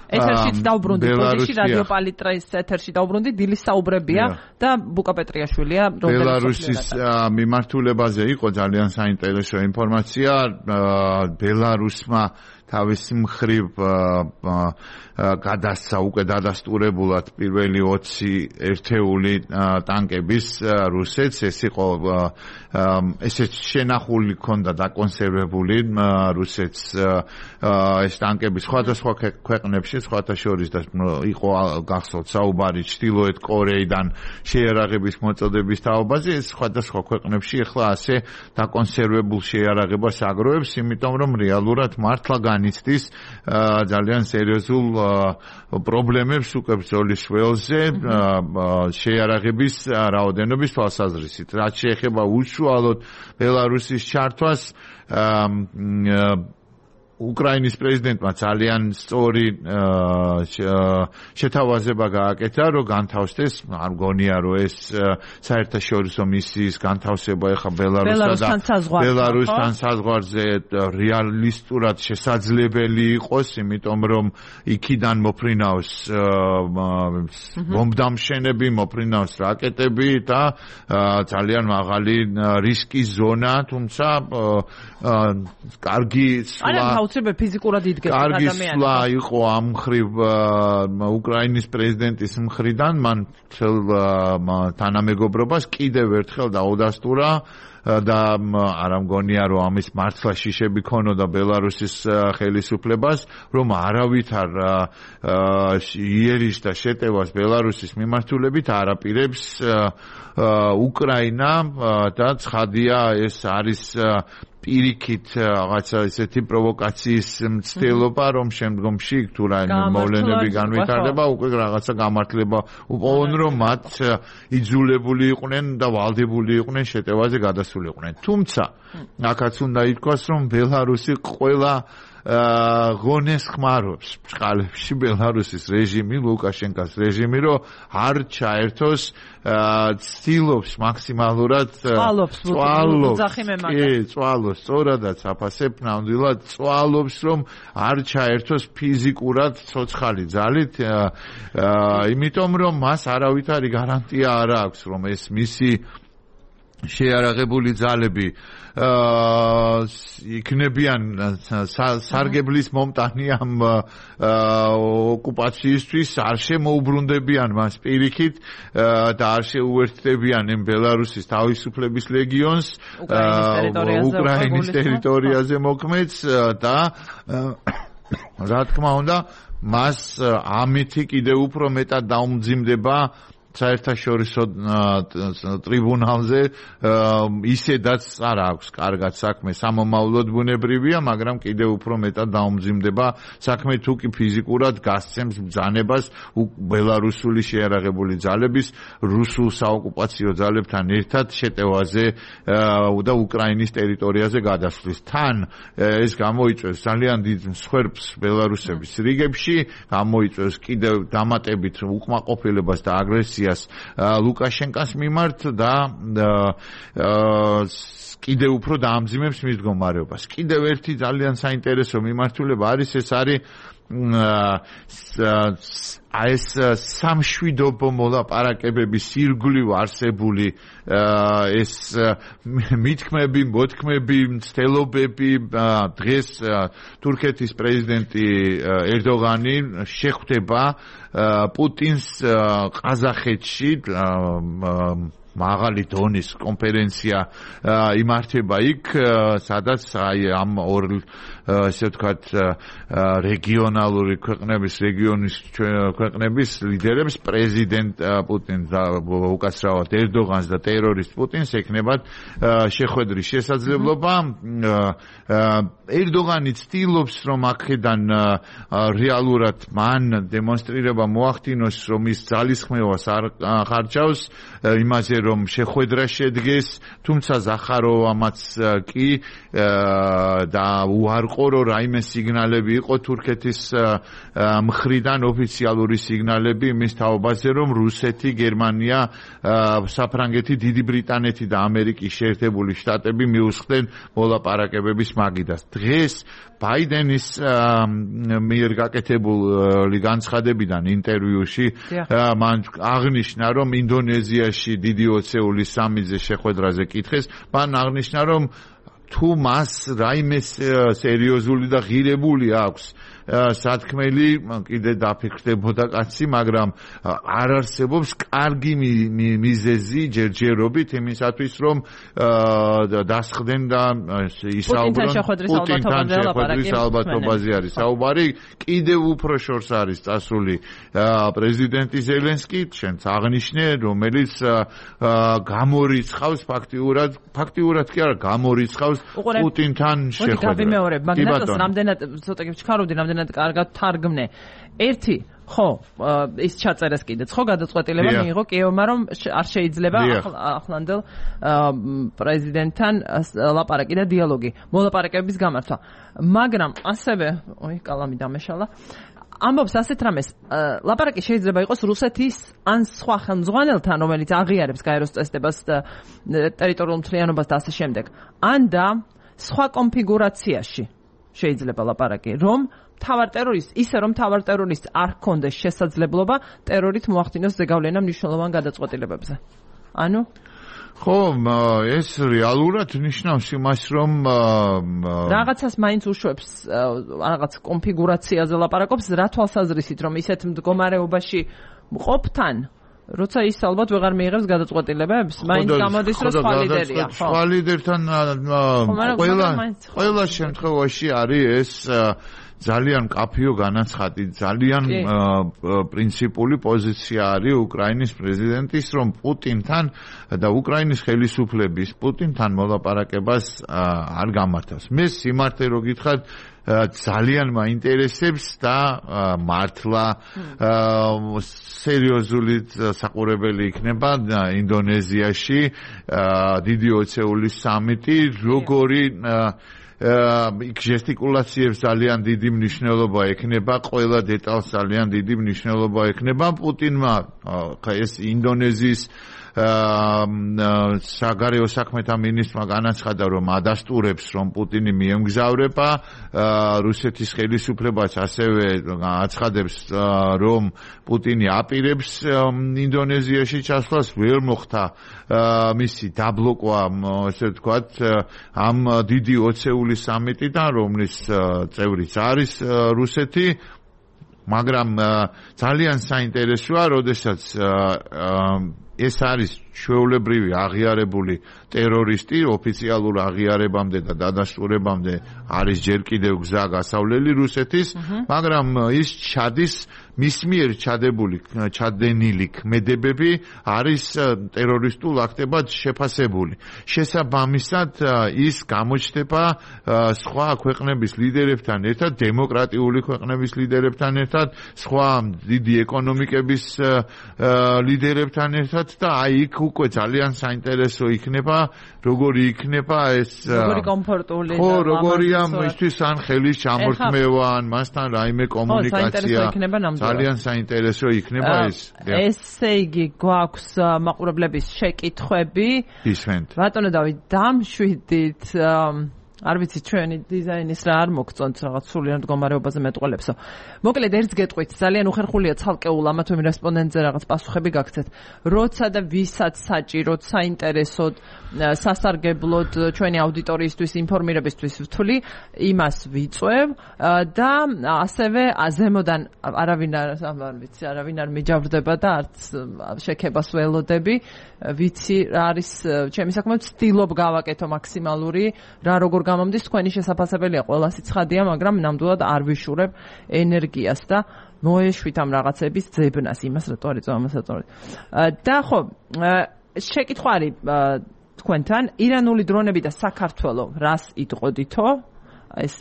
ეთერშიც დავბრუნდი ბოდიში რადიო პალიტრის ეთერში დავბრუნდი დილის საუბრებია და ბუკა პეტრიაშვილია
ბელარუსის მიმართულებაზე იყო ძალიან საინტერესო ინფორმაცია ბელარუსმა თავის მხრივ გადასცა უკვე დადასტურებულად პირველი ოცი ერთეული ტანკების რუსეთს ეს იყო ესეც შენახული ქონდა დაკონსერვებული რუსეთს ეს ტანკები სხვადასხვა ქვეყნებში სხვათა შორის და იყო გახსოვთ საუბარი ჩრდილოეთ კორეიდან შეიარაღების მოწოდების თაობაზე ეს სხვადასხვა ქვეყნებში ახლა ასე დაკონსერვებულ შეიარაღებას აგროვებს იმიტომ რომ რეალურად მართლა განიცდის ძალიან სერიოზულ პრობლემებს უკვე ბრძოლის ველზე შეიარაღების რაოდენობის თვალსაზრისით რაც შეეხება უშუალოდ ბელარუსის ჩართვას უკრაინის პრეზიდენტმა ძალიან სწორი შეთავაზება გააკეთა, რომ განთავსდეს, არ მგონია, რომ ეს საერთაშორისო მისიის განთავსება ეხა ბელარუსთან და ბელარუსთან საზღვარზე რეალისტურად შესაძლებელი იყოს, იმიტომ რომ იქიდან მოფრინავს ბომბდამშენები, მოფრინავს რაკეტები და ძალიან მაღალი რისკის ზონა, თუმცა კარგი სვლა
ფიზიკურად იდგება
ადამიანები. კარგი სვლა იყო ამ მხრივ უკრაინის პრეზიდენტის მხრიდან, მან თანამეგობრობას კიდევ ერთხელ დაუდასტურა და არ ამგონია რომ ამის მართლა შიშები ქონოდა ბელარუსის ხელისუფლებას, რომ არავითარ იერიშ და შეტევას ბელარუსის მიმართულებით არ აპირებს უკრაინა და ცხადია ეს არის პირიქით რაღაცა ისეთი პროვოკაციის მცდელობა, რომ შემდგომში თუ რაიმე მოვლენები განვითარდება, უკვე რაღაცა გამართლება უპოვონ, რომ მათ იძულებული იყვნენ და ვალდებული იყვნენ შეტევაზე გადასულიყვნენ. თუმცა, აქაც უნდა ითქვას, რომ ბელარუსი ყველა ღონეს ხმარობს ბჭყალებში ბელარუსის რეჟიმი, ლუკაშენკას რეჟიმი, რომ არ ჩაერთოს ცდილობს მაქსიმალურად
წვალობს,
კი, წვალობს, სწორადაც აფასებ ნამდვილად წვალობს, რომ არ ჩაერთოს ფიზიკურად ცოცხალი ძალით, იმიტომ რომ მას არავითარი გარანტია არ აქვს, რომ ეს მისი შეიარაღებული ძალები იქნებიან სარგებლის მომტანი ამ ოკუპაციისთვის, არ შემოუბრუნდებიან მას პირიქით და არ შეუერთდებიან იმ ბელარუსის თავისუფლების ლეგიონს უკრაინის ტერიტორიაზე მოქმედს და რა თქმა უნდა მას ამითი კიდევ უფრო მეტად დაუმძიმდება საერთაშორისო ტრიბუნალზე ისედაც არ აქვს კარგად საქმე სამომავლოდ ბუნებრივია, მაგრამ კიდევ უფრო მეტად დაუმძიმდება საქმე თუ კი ფიზიკურად გასცემს ბრძანებას ბელარუსული შეიარაღებული ძალების რუსულ საოკუპაციო ძალებთან ერთად შეტევაზე და უკრაინის ტერიტორიაზე გადასვლის. თან ეს გამოიწვევს ძალიან დიდ მსხვერპლს ბელარუსების რიგებში, გამოიწვევს კიდევ დამატებით უკმაყოფილებას და აგრესიას ლუკაშენკას მიმართ და კიდევ უფრო დაამძიმებს მის მდგომარეობას. კიდევ ერთი ძალიან საინტერესო მიმართულება არის ეს არის ეს სამშვიდობო მოლაპარაკებების ირგვლივ არსებული ეს მითქმები, მოთქმები, მცდელობები დღეს თურქეთის პრეზიდენტი ერდოღანი შეხვდება პუტინს ყაზახეთში მაღალი დონის კონფერენცია იმართება იქ, სადაც აი ამ ორ ესე ვთქვათ რეგიონალური ქვეყნების რეგიონის ქვეყნების ლიდერებს პრეზიდენტ პუტინს და უკაცრავად ერდოღანს და ტერორისტ პუტინს ეკნებათ შეხვედრის შესაძლებლობა. ერდოღანი ცდილობს რომ აქედან რეალურად მან დემონსტრირება მოახდინოს რომ ის ძალისხმევას არ ხარჯავს იმაზე რომ შეხვედრა შედგეს, თუმცა ზახაროვამაც კი და უარყო რომ რაიმე სიგნალები იყო თურქეთის მხრიდან ოფიციალური სიგნალები იმის თაობაზე რომ რუსეთი, გერმანია, საფრანგეთი, დიდი ბრიტანეთი და ამერიკის შეერთებული შტატები მიუსხდნენ მოლაპარაკებების მაგიდას. დღეს ბაიდენის მიერ გაკეთებული განცხადებიდან ინტერვიუში მან აღნიშნა რომ ინდონეზიაში დიდი ოცეულის სამიზე შეხვედრაზე კითხეს, მან აღნიშნა რომ თუ მას რაიმე სერიოზული და ღირებული აქვს სათქმელი კიდე დაფიქრდებოდა კაცი, მაგრამ არ არსებობს კარგი მიზეზი ჯერჯერობით იმისათვის რომ დასხდნენ და ისაუბრონ პუტინთან შეხვედრის ალბათობაზე არის საუბარი. კიდევ უფრო შორს არის წასული პრეზიდენტი ზელენსკი, შენც აღნიშნე, რომელიც გამორიცხავს ფაქტიურად ფაქტიურად კი არა გამორიცხავს პუტინთან შეხვედრას.
გავიმეორებ, მაგრამ რამდენად ცოტა კი ვჩქარობდი, რამდენად კარგად თარგმნე. ერთი, ხო, ის ჩაწერეს კიდეც, ხო, გადაწყვეტილება მიიღო კიევმა, რომ არ შეიძლება ახლანდელ პრეზიდენტთან ლაპარაკი და დიალოგი, მოლაპარაკებების გამართვა. მაგრამ ასევე, ой, კალამი დამეშალა. ამბობს ასეთ რამეს, ლაპარაკი შეიძლება იყოს რუსეთის ან სხვა ხელმძღვანელთან, რომელიც აღიარებს გაეროს წესდებას, ტერიტორიულ მთლიანობას და ასე შემდეგ. ან და სხვა კონფიგურაციაში შეიძლება ლაპარაკი, რომ თავარ ტერორისტ, ისე რომ თავარ ტერორისტს არ ჰქონდეს შესაძლებლობა ტერორით მოახდინოს ზეგავლენა მნიშვნელოვან გადაწყვეტილებებზე. ანუ
ხო, ეს რეალურად ნიშნავს იმას, რომ
რაღაცას მაინც უშვებს რაღაც კონფიგურაციაზე ლაპარაკობს, რა თვალსაზრისით, რომ ისეთ მდგომარეობაში მყოფთან როცა ის ალბათ ვეღარ მიიღებს გადაწყვეტილებებს, მაინც გამოდის რომ სხვა ლიდერია, ხო?
სხვა ლიდერთან ყველა ყველა შემთხვევაში არის ეს ძალიან კაფიო განაცხადი, ძალიან პრინციპული პოზიცია არის უკრაინის პრეზიდენტის, რომ პუტინთან და უკრაინის ხელისუფლების პუტინთან მოლაპარაკებას არ გამართავს. მე სიმართლე რო გითხრათ, ძალიან მაინტერესებს და მართლა სერიოზული საყურებელი იქნება ინდონეზიაში დიდი ოცეულის სამიტი, როგორი იქ ჟესტიკულაციებს ძალიან დიდი მნიშვნელობა ექნება, ყველა დეტალს ძალიან დიდი მნიშვნელობა ექნება. პუტინმა ეს ინდონეზიის საგარეო საქმეთა მინისტრმა განაცხადა, რომ ადასტურებს, რომ პუტინი მიემგზავრება, რუსეთის ხელისუფლებას ასევე აცხადებს, რომ პუტინი აპირებს ინდონეზიაში ჩასვლას, ვერ მოხდა მისი დაბლოკვა, ესე ვთქვათ, ამ დიდი ოცეული სამიტიდან, რომლის წევრიც არის რუსეთი, მაგრამ ძალიან საინტერესოა, როდესაც ეს არის ჩვეულებრივი აღიარებული ტერორისტი, ოფიციალურ აღიარებამდე და დადასტურებამდე არის ჯერ კიდევ გზა გასავლელი რუსეთის, მაგრამ ის ჩადის მის მიერ ჩადებული ჩადენილი ქმედებები არის ტერორისტულ აქტებად შეფასებული. შესაბამისად ის გამოჩნდება სხვა ქვეყნების ლიდერებთან ერთად, დემოკრატიული ქვეყნების ლიდერებთან ერთად, სხვა დიდი ეკონომიკების ლიდერებთან ერთად და აი იქ უკვე ძალიან საინტერესო იქნება, როგორი იქნება ეს
როგორი კომფორტული
ხო, როგორია მისთვის ან ხელის ჩამორთმევა, ან მასთან რაიმე კომუნიკაცია. ძალიან საინტერესო იქნება ეს.
ესე იგი, გვაქვს მაყურებლების შეკითხვები.
ისმენთ.
ბატონო დავით, დამშვიდით. არ ვიცი ჩვენი დიზაინის რა არ მოგწონთ რაღაც სულიერ მდგომარეობაზე მეტყველებსო. მოკლედ ერთს გეტყვით, ძალიან უხერხულია ცალკეულ ამა თუ იმ რესპონდენტზე რაღაც პასუხები გაგცეთ. როცა და ვისაც საჭიროდ, საინტერესოდ, სასარგებლოდ ჩვენი აუდიტორიისთვის ინფორმირებისთვის ვთვლი, იმას ვიწევ და ასევე ზემოდან არავინ არ ვიცი, არავინ არ მიჯავრდება და არც შექებას ველოდები. ვიცი რა არის ჩემი საქმე, ვცდილობ გავაკეთო მაქსიმალური, რა როგორ გამომდის თქვენი შესაძლებელია ყველა სიცხადია, მაგრამ ნამდვილად არ ვიშურებ ენერგიას და მოეშვით ამ რაღაცების ძებნას, იმას რატო არ იწვა, ამას რატო არ. და ხო, შეკითხვა არის თქვენთან, ირანული დრონები და საქართველო რას იტყოდითო? ეს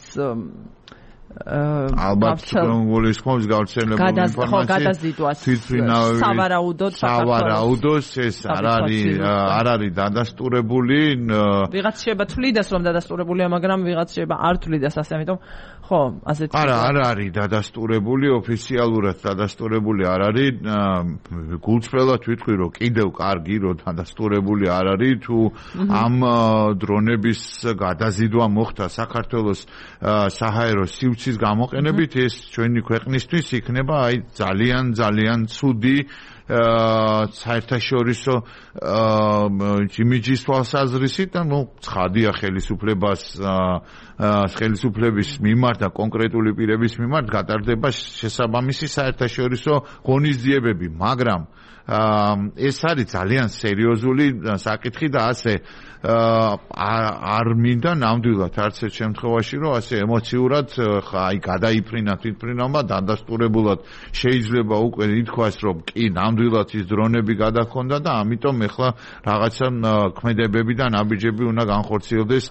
ალბათ გულის ხომს გავრცელებული ინფორმაცია თვითმფრინავი
სავარაუდოდ
სავარაუდოს ეს არ არის არ არის დადასტურებული
ვიღაც შეიძლება თვლიდეს რომ დადასტურებულია მაგრამ ვიღაც შეიძლება არ თვლიდეს ასე ამიტომ ხო ასეთი
არა არ არის დადასტურებული ოფიციალურად დადასტურებული არ არის გულწრფელად ვიტყვი რომ კიდევ კარგი რომ დადასტურებული არ არის თუ ამ დრონების გადაზიდვა მოხდა საქართველოს საჰაერო სივრცის გამოყენებით ეს ჩვენი ქვეყნისთვის იქნება აი ძალიან ძალიან ცუდი საერთაშორისო იმიჯის თვალსაზრისით და ნუ ცხადია ხელისუფლებას ხელისუფლების მიმართ და კონკრეტული პირების მიმართ გატარდება შესაბამისი საერთაშორისო ღონისძიებები მაგრამ ეს არის ძალიან სერიოზული საკითხი და ასე არ მინდა ნამდვილად არც ერთ შემთხვევაში რომ ასე ემოციურად აი გადაიფრინა თვითმფრინავმა დადასტურებულად შეიძლება უკვე ითქვას რომ კი ნამდვილად ის დრონები გადაგქონდა და ამიტომ ეხლა რაღაცა ქმედებები და ნაბიჯები უნდა განხორციელდეს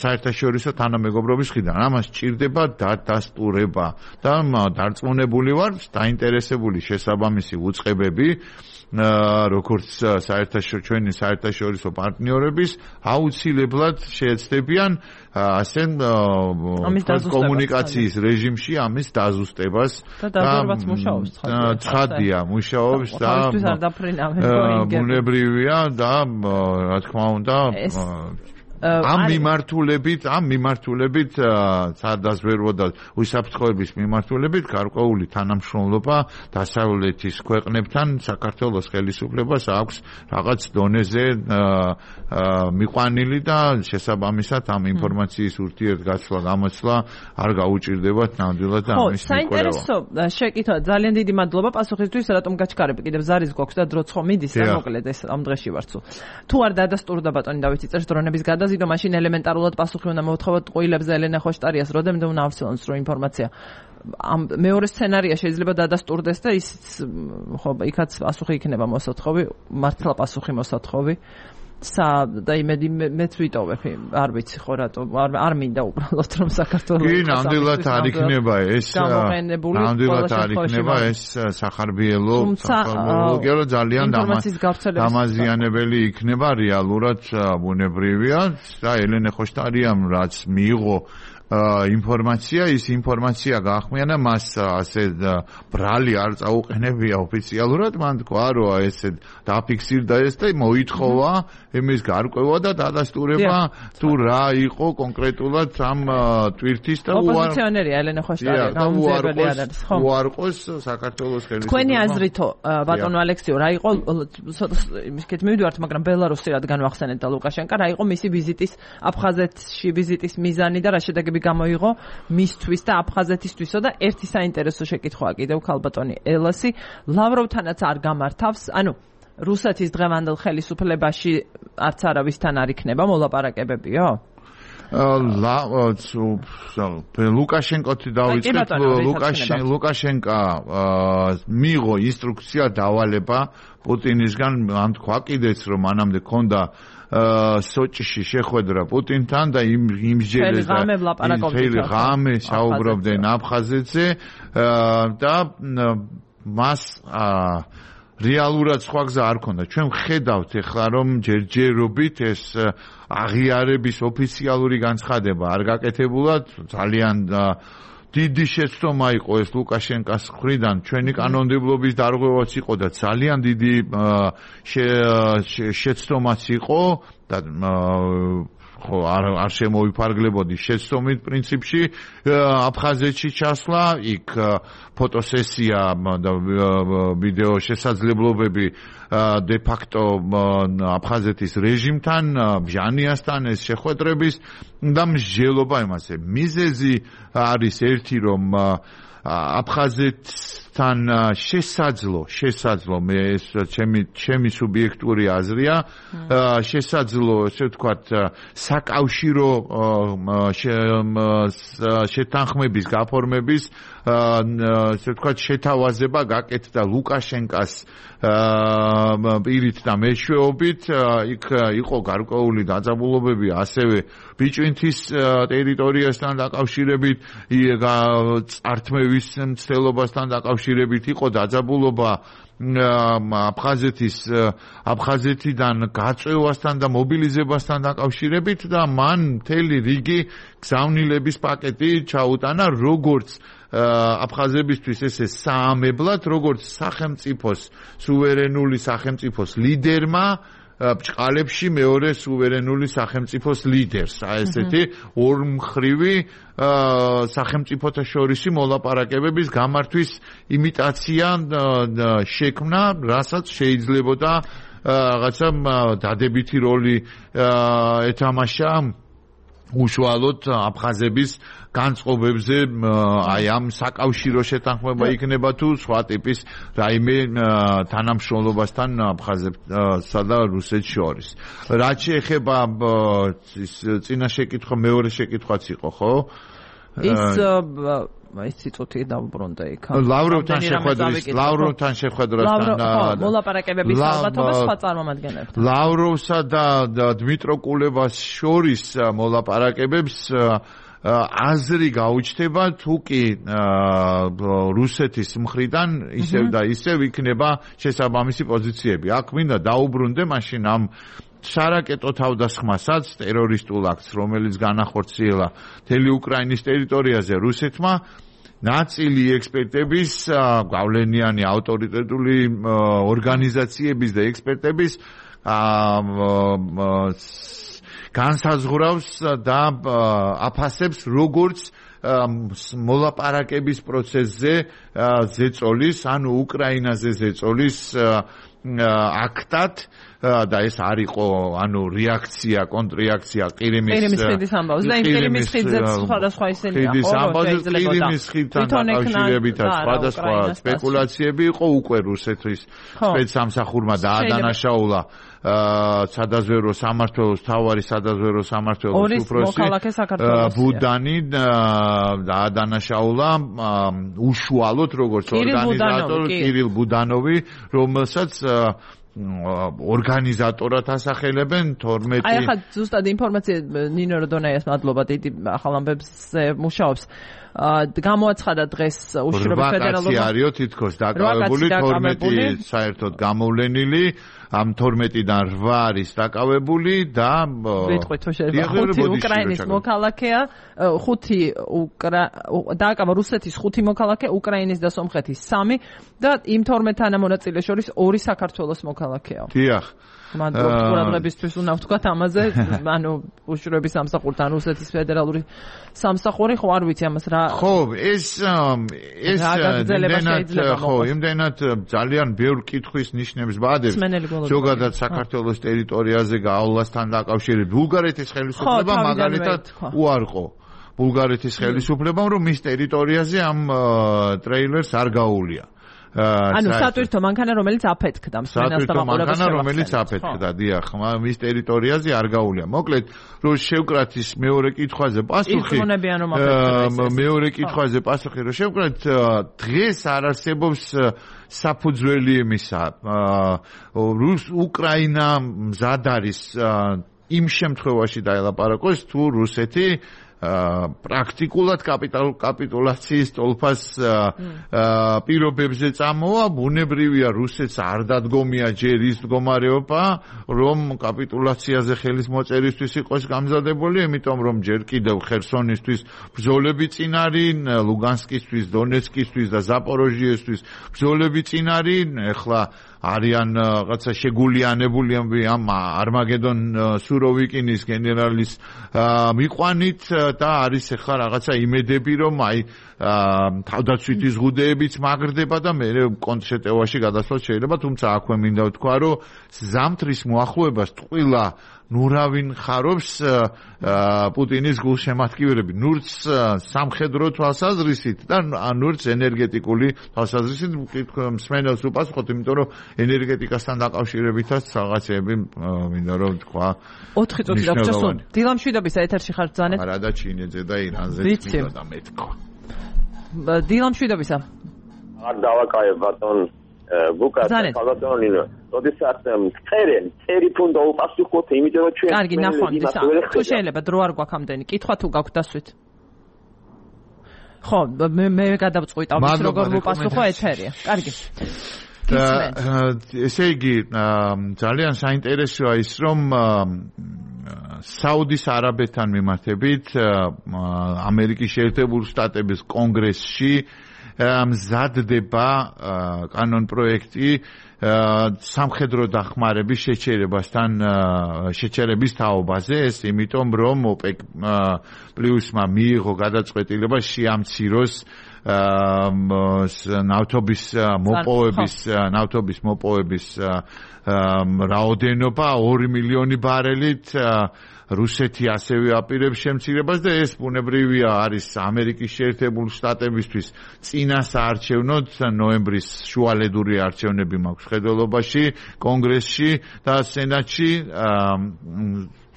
საერთაშორისო თანამეგობრობის მხრიდან ამას სჭირდება დადასტურება და დარწმუნებული ვარ დაინტერესებული შესაბამისი უწყებები როგორც საერთაშორისო ჩვენი საერთაშორისო პარტნიორების აუცილებლად შეეცდებიან ასე კომუნიკაციის რეჟიმში ამის დაზუსტებას
და მუშაობს
ცხადია მუშაობს და ბუნებრივია და რა თქმა უნდა ამ მიმართულებით, ამ მიმართულებით სადაზვერვო და უსაფრთხოების მიმართულებით გარკვეული თანამშრომლობა დასავლეთის ქვეყნებთან საქართველოს ხელისუფლებას აქვს რაღაც დონეზე მიყვანილი და შესაბამისად ამ ინფორმაციის ურთიერთგაცვლა გამოცვლა არ გაუჭირდებათ ნამდვილად და ამის მიკვლევა.
ხო, საინტერესო შეკითხვა, ძალიან დიდი მადლობა პასუხისთვის, რატომ გაჩქარები, კიდევ ზარის გვაქვს და დროც ხომ მიდის და მოკლედ ეს ამ დღეში ვარცო. თუ არ დადასტურდა ბატონი დავითი წერს დრონების გადაზიდვა ზიდო მაშინ ელემენტარულად პასუხი უნდა მოვთხოვოთ ყოილებზე ელენე ხოშტარიას როდემდე უნდა ავცილოს რო ინფორმაცია ამ მეორე სცენარია შეიძლება დადასტურდეს და ის ხო იქაც პასუხი იქნება მოსათხოვი მართლა პასუხი მოსათხოვი სა და იმედი მეც ვიტოვებ არ ვიცი ხო რატო არ მინდა უბრალოდ რომ საქართველოს
კი ნამდვილად არ იქნება ეს ნამდვილად არ იქნება ეს სახარბიელო სახარბიელო ძალიან დამაზიანებელი იქნება რეალურად ბუნებრივია და ელენე ხოშტარიამ რაც მიიღო ინფორმაცია, ის ინფორმაცია გაახმიანა მას ასე ბრალი არ წაუყენებია ოფიციალურად, მან თქვა, რომ ესე დაფიქსირდა ეს და მოითხოვა იმის გარკვევა და დადასტურება თუ რა იყო კონკრეტულად ამ ტვირთის და
ოპოზიციონერია ელენე ხოშტარი, გამომძიებელი არის, ხო?
უარყოს საქართველოს ხელისუფლება.
თქვენი აზრითო, ბატონო ალექსიო, რა იყო იმისკეთ მივიდივართ, მაგრამ ბელარუსი რადგან ვახსენეთ და ლუკაშენკა, რა იყო მისი ვიზიტის აფხაზეთში ვიზიტის მიზანი და რა შედეგები გამოიღო მისთვის და აფხაზეთისთვისო და ერთი საინტერესო შეკითხვაა კიდევ ქალბატონი ელასი, ლავროვთანაც არ გამართავს, ანუ რუსეთის დღევანდელ ხელისუფლებაში არც არავისთან არ იქნება მოლაპარაკებებიო?
ლუკაშენკოთი დავიწყეთ, ლუკაშენკა მიიღო ინსტრუქცია დავალება პუტინისგან, ან თქვა კიდეც რომ მანამდე ქონდა სოჭში შეხვედრა პუტინთან და იმ იმსჯელეს და მთელი ღამე საუბრობდნენ აფხაზეთზე და მას რეალურად სხვა გზა არ ქონდა. ჩვენ ვხედავთ ეხლა რომ ჯერჯერობით ეს აღიარების ოფიციალური განცხადება არ გაკეთებულად, ძალიან დიდი შეცდომა იყო ეს ლუკაშენკას მხრიდან, ჩვენი კანონმდებლობის დარღვევაც იყო და ძალიან დიდი შეცდომაც იყო და ხო არ არ შემოვიფარგლებოდი შეცდომით პრინციპში აფხაზეთში ჩასვლა, იქ ფოტოსესია და ვიდეო შესაძლებლობები de facto აფხაზეთის რეჟიმთან, ბჟანიასთან ეს შეხვედრების და მსჯელობა იმასე. მიზეზი არის ერთი, რომ აფხაზეთთან შესაძლო, შესაძლო მე ეს ჩემი ჩემი სუბიექტური აზრია, შესაძლო, ესე ვთქვათ, საკავშირო შეთანხმების გაფორმების, ესე ვთქვათ, შეთავაზება გაკეთდა ლუკაშენკას პირით და მეშვეობით, იქ იყო გარკვეული დაძაბულობები ასევე ბიჭვინთის ტერიტორიასთან დაკავშირებით, წართმევის მცდელობასთან დაკავშირებით იყო დაძაბულობა აფხაზეთის აფხაზეთიდან გაწევასთან და მობილიზებასთან დაკავშირებით და მან მთელი რიგი გზავნილების პაკეტი ჩაუტანა, როგორც აფხაზებისთვის ესე საამებლად, როგორც სახელმწიფოს სუვერენული სახელმწიფოს ლიდერმა ბჭყალებში მეორე სუვერენული სახელმწიფოს ლიდერს, აი ესეთი ორმხრივი სახელმწიფოთა შორისი მოლაპარაკებების გამართვის იმიტაცია შექმნა, რასაც შეიძლებოდა რაღაცა დადებითი როლი ეთამაშა უშუალოდ აფხაზების განწყობებზე, აი ამ საკავშირო შეთანხმება იქნება თუ სხვა ტიპის რაიმე თანამშრომლობასთან აფხაზებსა და რუსეთს შორის. რაც შეეხება ის წინა შეკითხვა, მეორე შეკითხვაც იყო, ხო?
ის ის ციტოთი დავბრუნდა იქ.
ლავროვთან შეხვედრის, ლავროვთან შეხვედრასთან
მოლაპარაკებების ალბათობა სხვა წარმომადგენლებთან.
ლავროვსა და დმიტრო კულებას შორის მოლაპარაკებებს აზრი გაუჩნდება, თუ კი რუსეთის მხრიდან ისევ და ისევ იქნება შესაბამისი პოზიციები. აქ მინდა დაუბრუნდე მაშინ ამ სარაკეტო თავდასხმასაც, ტერორისტულ აქტს, რომელიც განახორციელა მთელი უკრაინის ტერიტორიაზე რუსეთმა, ნაწილი ექსპერტების, გავლენიანი ავტორიტეტული ორგანიზაციების და ექსპერტების განსაზღვრავს და აფასებს, როგორც მოლაპარაკების პროცესზე ზეწოლის, ანუ უკრაინაზე ზეწოლის აქტად და ეს არ იყო ანუ რეაქცია, კონტრრეაქცია ყირიმის
ყირიმის ხიდის ამბავს და იმ ყირიმის ხიდზე სხვადასხვა ისინია ხო
ყირიმის ხიდთან დაკავშირებით სხვადასხვა სპეკულაციები იყო უკვე რუსეთის სპეცსამსახურმა დაადანაშაულა სადაზვერო სამმართველოს თავარი სადაზვერო სამმართველოს უფროსი ბუდანი დაადანაშაულა უშუალოდ როგორც ორგანიზატორი კირილ ბუდანოვი, რომელსაც ორგანიზატორად ასახელებენ თორმეტი.
აი ახლა ზუსტად ინფორმაცია ნინო როდონაიას მადლობა, დიდი ახალ ამბებზე მუშაობს. გამოაცხადა დღეს უშუალოდ ფედერალურმა
რვა კაცი არისო თითქოს დაკავებული, თორმეტი საერთოდ გამოვლენილი, ამ თორმეტიდან რვა არის დაკავებული და
ვიტყვით თუ შეიძლება ხუთი უკრაინის მოქალაქეა ხუთი დააკავა რუსეთის ხუთი მოქალაქე უკრაინის და სომხეთის სამი და იმ თორმეტ თანამონაწილეს შორის ორი საქართველოს მოქალაქეა.
დიახ.
მადლობთ ყურადღებისთვის უნდა ვთქვათ ამაზე, ანუ უშუალობის სამსახურთან რუსეთის ფედერალური სამსახური, ხო არ ვიცი ამას რა.
ხო, ეს ეს იმდენად ხო, იმდენად ძალიან ბევრ კითხვის ნიშნებს ბადებს. ზოგადად საქართველოს ტერიტორიაზე გავლასთან დაკავშირებით ბულგარეთის ხელისუფლებამ მაგალითად უარყო ბულგარეთის ხელისუფლებამ რომ მის ტერიტორიაზე ამ ტრეილერს არ გაუვლია.
ანუ სატვირთო მანქანა რომელიც აფეთქდა მსმენელს და მაყურებელს
მანქანა რომელიც აფეთქდა დიახ მის ტერიტორიაზე არ გაუვლია მოკლედ რომ შევკრათ ის მეორე კითხვაზე პასუხი მეორე კითხვაზე პასუხი რომ შევკრათ დღეს არ არსებობს საფუძველი იმისა რუს უკრაინა მზად არის იმ შემთხვევაში დაელაპარაკოს თუ რუსეთი პრაქტიკულად კაპიტულაციის ტოლფას პირობებზე წამოვა, ბუნებრივია რუსეთს არ დადგომია ჯერ ის მდგომარეობა, რომ კაპიტულაციაზე ხელის მოწერისთვის იყოს გამზადებული, იმიტომ რომ ჯერ კიდევ ხერსონისთვის ბრძოლები წინ არის, ლუგანსკისთვის, დონეცკისთვის და ზაპოროჟიესთვის ბრძოლები წინ არის, ეხლა არიან რაღაცა შეგულიანებული ამ არმაგედონ სუროვიკინის გენერალის მიყვანით და არის ახლა რაღაცა იმედები რომ აი თავდაცვითი ზღუდეებიც მაგრდება და მე კონცერტევაში გადასვლაც შეიძლება თუმცა აქვე მინდა ვთქვა რომ ზამთრის მოახლოებას ტყუილა ნურავინ ხარობს პუტინის გულშემატკივრები ნურც სამხედრო თვალსაზრისით და ნურც ენერგეტიკული თვალსაზრისით მსმენელს უპასუხოთ იმიტომ რომ ენერგეტიკასთან დაკავშირებითაც რაღაცები მინდა რომ თქვა
ოთხი წუთი დაგჭირსო დილამშვიდობის ეთერში ხარ ბრძანეთ
არა და ჩინეთზე და ირანზე მინდა და მეთქვა
დილამშვიდობისა
არ დავაკავებ ბატონ ბუკა ბატონინო როდესაც წერენ წერი ფუნდა უპასუხოთ იმიტომ რომ ჩვენ
კარგი ნახვამდის თუ შეიძლება დრო არ გვაქვს ამდენი კითხვა თუ გაქვთ დასვით ხო მე მე გადავწყვიტავ ის როგორ ვუპასუხო ეთერია კარგი
ესე იგი ძალიან საინტერესოა ის რომ საუდის არაბეთთან მიმართებით ამერიკის შეერთებული შტატების კონგრესში მზადდება კანონ პროექტი სამხედრო დახმარების შეჩერებასთან შეჩერების თაობაზე ეს იმიტომ რომ ოპეკ პლუსმა მიიღო გადაწყვეტილება შეამციროს ნავთობის მოპოვების ნავთობის მოპოვების რაოდენობა ორი მილიონი ბარელით რუსეთი ასევე აპირებს შემცირებას და ეს ბუნებრივია არის ამერიკის შეერთებული შტატებისთვის წინასაარჩევნოდ ნოემბრის შუალედური არჩევნები მაქვს ხედველობაში კონგრესში და სენატში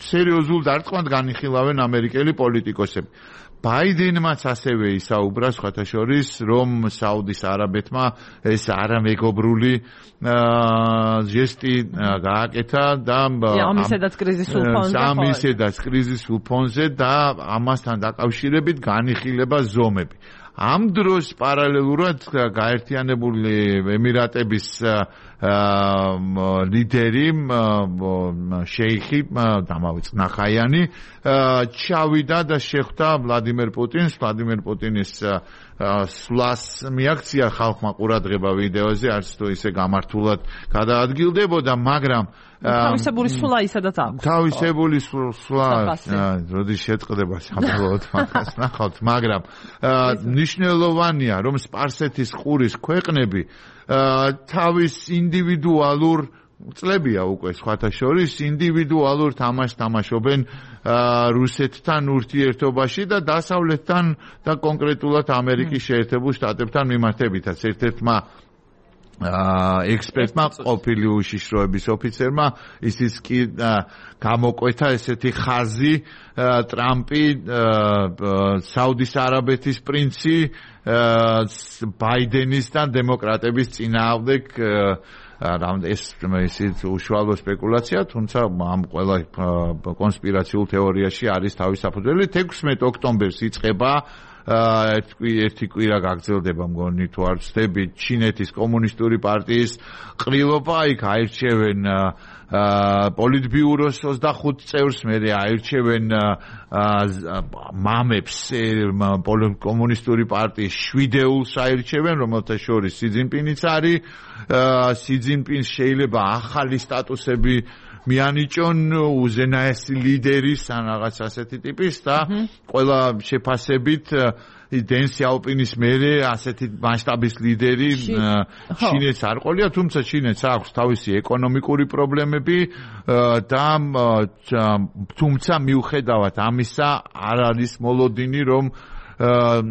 სერიოზულ დარტყმად განიხილავენ ამერიკელი პოლიტიკოსები ბაიდენმაც ასევე ისაუბრა სხვათა შორის რომ საუდის არაბეთმა ეს არამეგობრული ჟესტი გააკეთა და
ამისედაც კრიზისულ ფონზე
ამისედაც კრიზისულ ფონზე და ამასთან დაკავშირებით განიხილება ზომები ამ დროს პარალელურად გაერთიანებული ემირატების ლიდერი შეიხი დამავიწყ ნახაიანი ჩავიდა და შეხვდა ვლადიმერ პუტინს ვლადიმერ პუტინის სვლას მიაქცია ხალხმა ყურადღება ვიდეოზე არც თუ ისე გამართულად გადაადგილდებოდა მაგრამ
თავისებული სვლა ისედაც აქვს
თავისებული სვლა როდის შეწყდება საბოლოოდ მაგას ნახავთ მაგრამ ნიშნულოვანია რომ სპარსეთის ყურის ქვეყნები თავის ინდივიდუალურ წლებია უკვე სხვათა შორის ინდივიდუალურ თამაშს თამაშობენ რუსეთთან ურთიერთობაში და დასავლეთთან და კონკრეტულად ამერიკის შეერთებულ შტატებთან მიმართებითაც ერთ-ერთმა ექსპერტმა ყოფილი უშიშროების ოფიცერმა ისიც კი გამოკვეთა ესეთი ხაზი ტრამპი საუდის არაბეთის პრინცი ბაიდენის და დემოკრატების წინააღმდეგ ეს ისიც უშუალო სპეკულაცია თუმცა ამ ყველა კონსპირაციულ თეორიაში არის თავის საფუძველი თექვსმეტ ოქტომბერს იწყება ერთი კვირა გაგრძელდება მგონი თუ არ ვცდები ჩინეთის კომუნისტური პარტიის ყრილობა იქ აირჩევენ პოლიტბიუროს ოცდახუთ წევრს მე აირჩევენ მამებს კომუნისტური პარტიის შვიდეულს აირჩევენ რომელთა შორის სი ძინპინიც არის სი ძინპინს შეიძლება ახალი სტატუსები მიანიჭონ უზენაესი ლიდერის ან რაღაც ასეთი ტიპის და ყველა შეფასებით დენ სიაოპინის მერე ასეთი მასშტაბის ლიდერი ჩინეთს არ ყოლია თუმცა ჩინეთს აქვს თავისი ეკონომიკური პრობლემები და თუმცა მიუხედავად ამისა არ არის მოლოდინი რომ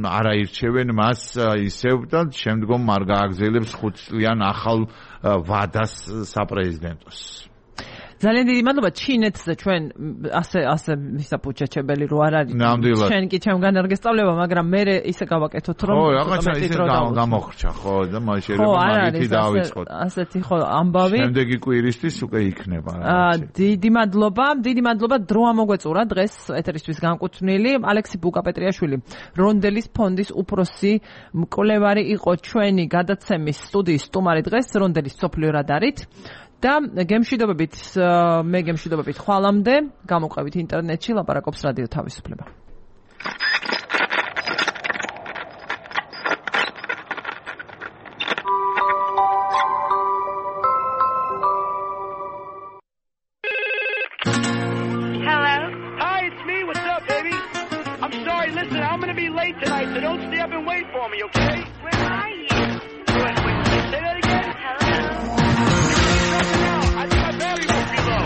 არ აირჩევენ მას ისევ და შემდგომ არ გააგრძელებს ხუთწლიან ახალ ვადას საპრეზიდენტოს
ძალიან დიდი მადლობა ჩინეთზე ჩვენ ასე ასე მისაპუჩაჩებელი რო არ არის ჩვენ კი ჩემგან არ გესწავლება მაგრამ მე ისე გავაკეთოთ რომ
ხო რაღაცა ისე გამოხრჩა ხო და მას შეიძლება მაგითი დავიწყოთ
ასეთი ხო ამბავი
შემდეგი კვირისთვის უკვე იქნება
დიდი მადლობა დიდი მადლობა დრო ამოგვეწურა დღეს ეთერისთვის განკუთვნილი ალექსი ბუკაპეტრიაშვილი რონდელის ფონდის უფროსი მკვლევარი იყო ჩვენი გადაცემის სტუდიის სტუმარი დღეს რონდელის სოფლიო რადარით და გემშვიდობებით მე გემშვიდობებით ხვალამდე გამოყვებით ინტერნეტში ლაპარაკობს რადიო თავისუფლება
Hello? Hi, it's me. What's up, baby? I'm sorry. Listen, I'm going to be late tonight, so don't stay up and wait for me, okay? Where are you? Wait, wait, wait. Say that again? Hello? I think my battery must be low.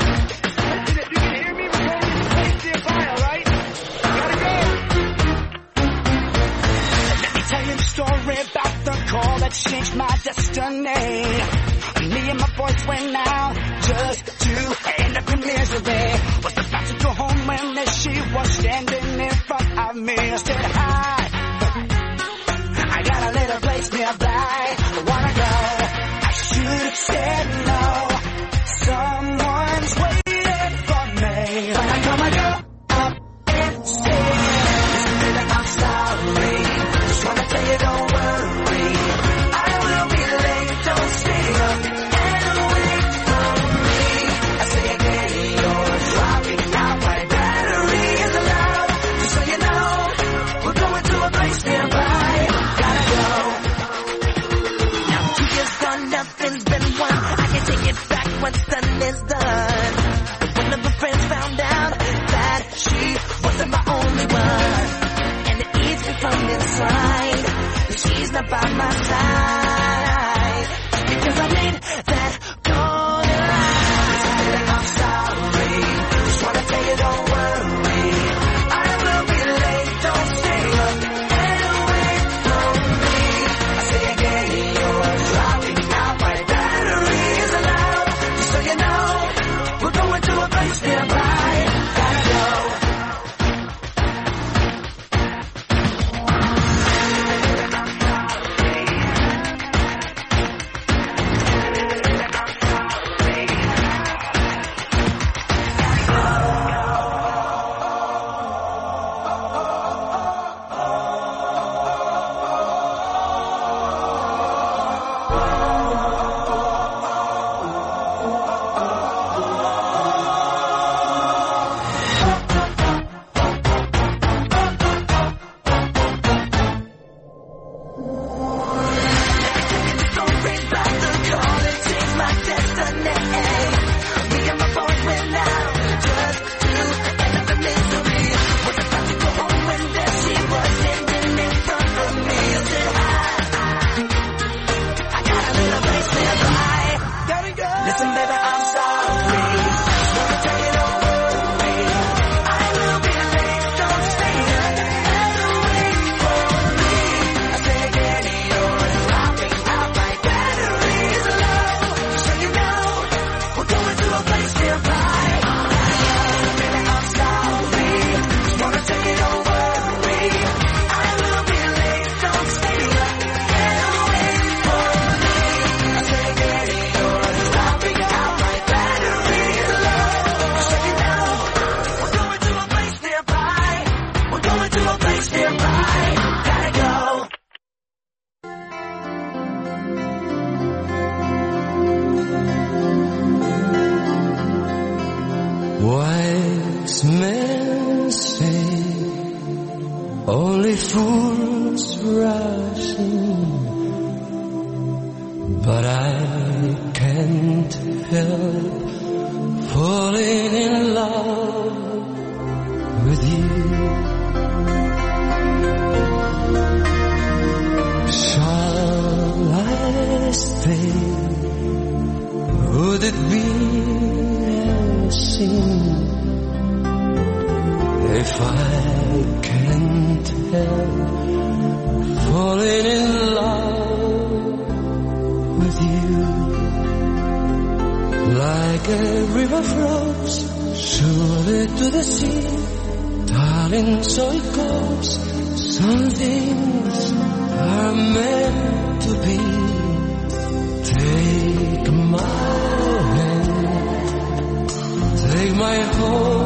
Listen, if you can hear me, we're going to the place nearby, all right? Gotta go. Let me tell you the story about the call that changed my destiny. Me and my boys went out just to end up in misery. Was about to go home when she was standing in front of me. I said, hi, I got a little place nearby. I wanna go. I should have said no. Someone's waiting for me. But I come and go up and say, I'm sorry. Just wanna tell you don't worry. I will be late. Don't stay up and wait for me. I say again, you're dropping out. My battery is low. Just so you know, we're going to a place nearby. Gotta go. Now two years gone, nothing's been won. I can take it back. What's done is done. One of her friends found out that she wasn't my only one, and it eats me from inside that she's not by my side because I made that golden line. I'm sorry, just wanna tell you don't worry. I will be late. Don't stay up and wait for me. I say again, you're dropping out. My battery is low. So you know, we're going to a place nearby. Gotta go. can say only fools rush in, but I can't help falling in love with you. Shall I stay? Would it be a sin if I can't help falling in love with you? Like a river flows surely to the sea, darling, so it goes. Some things are meant to be. Take my hand, take my whole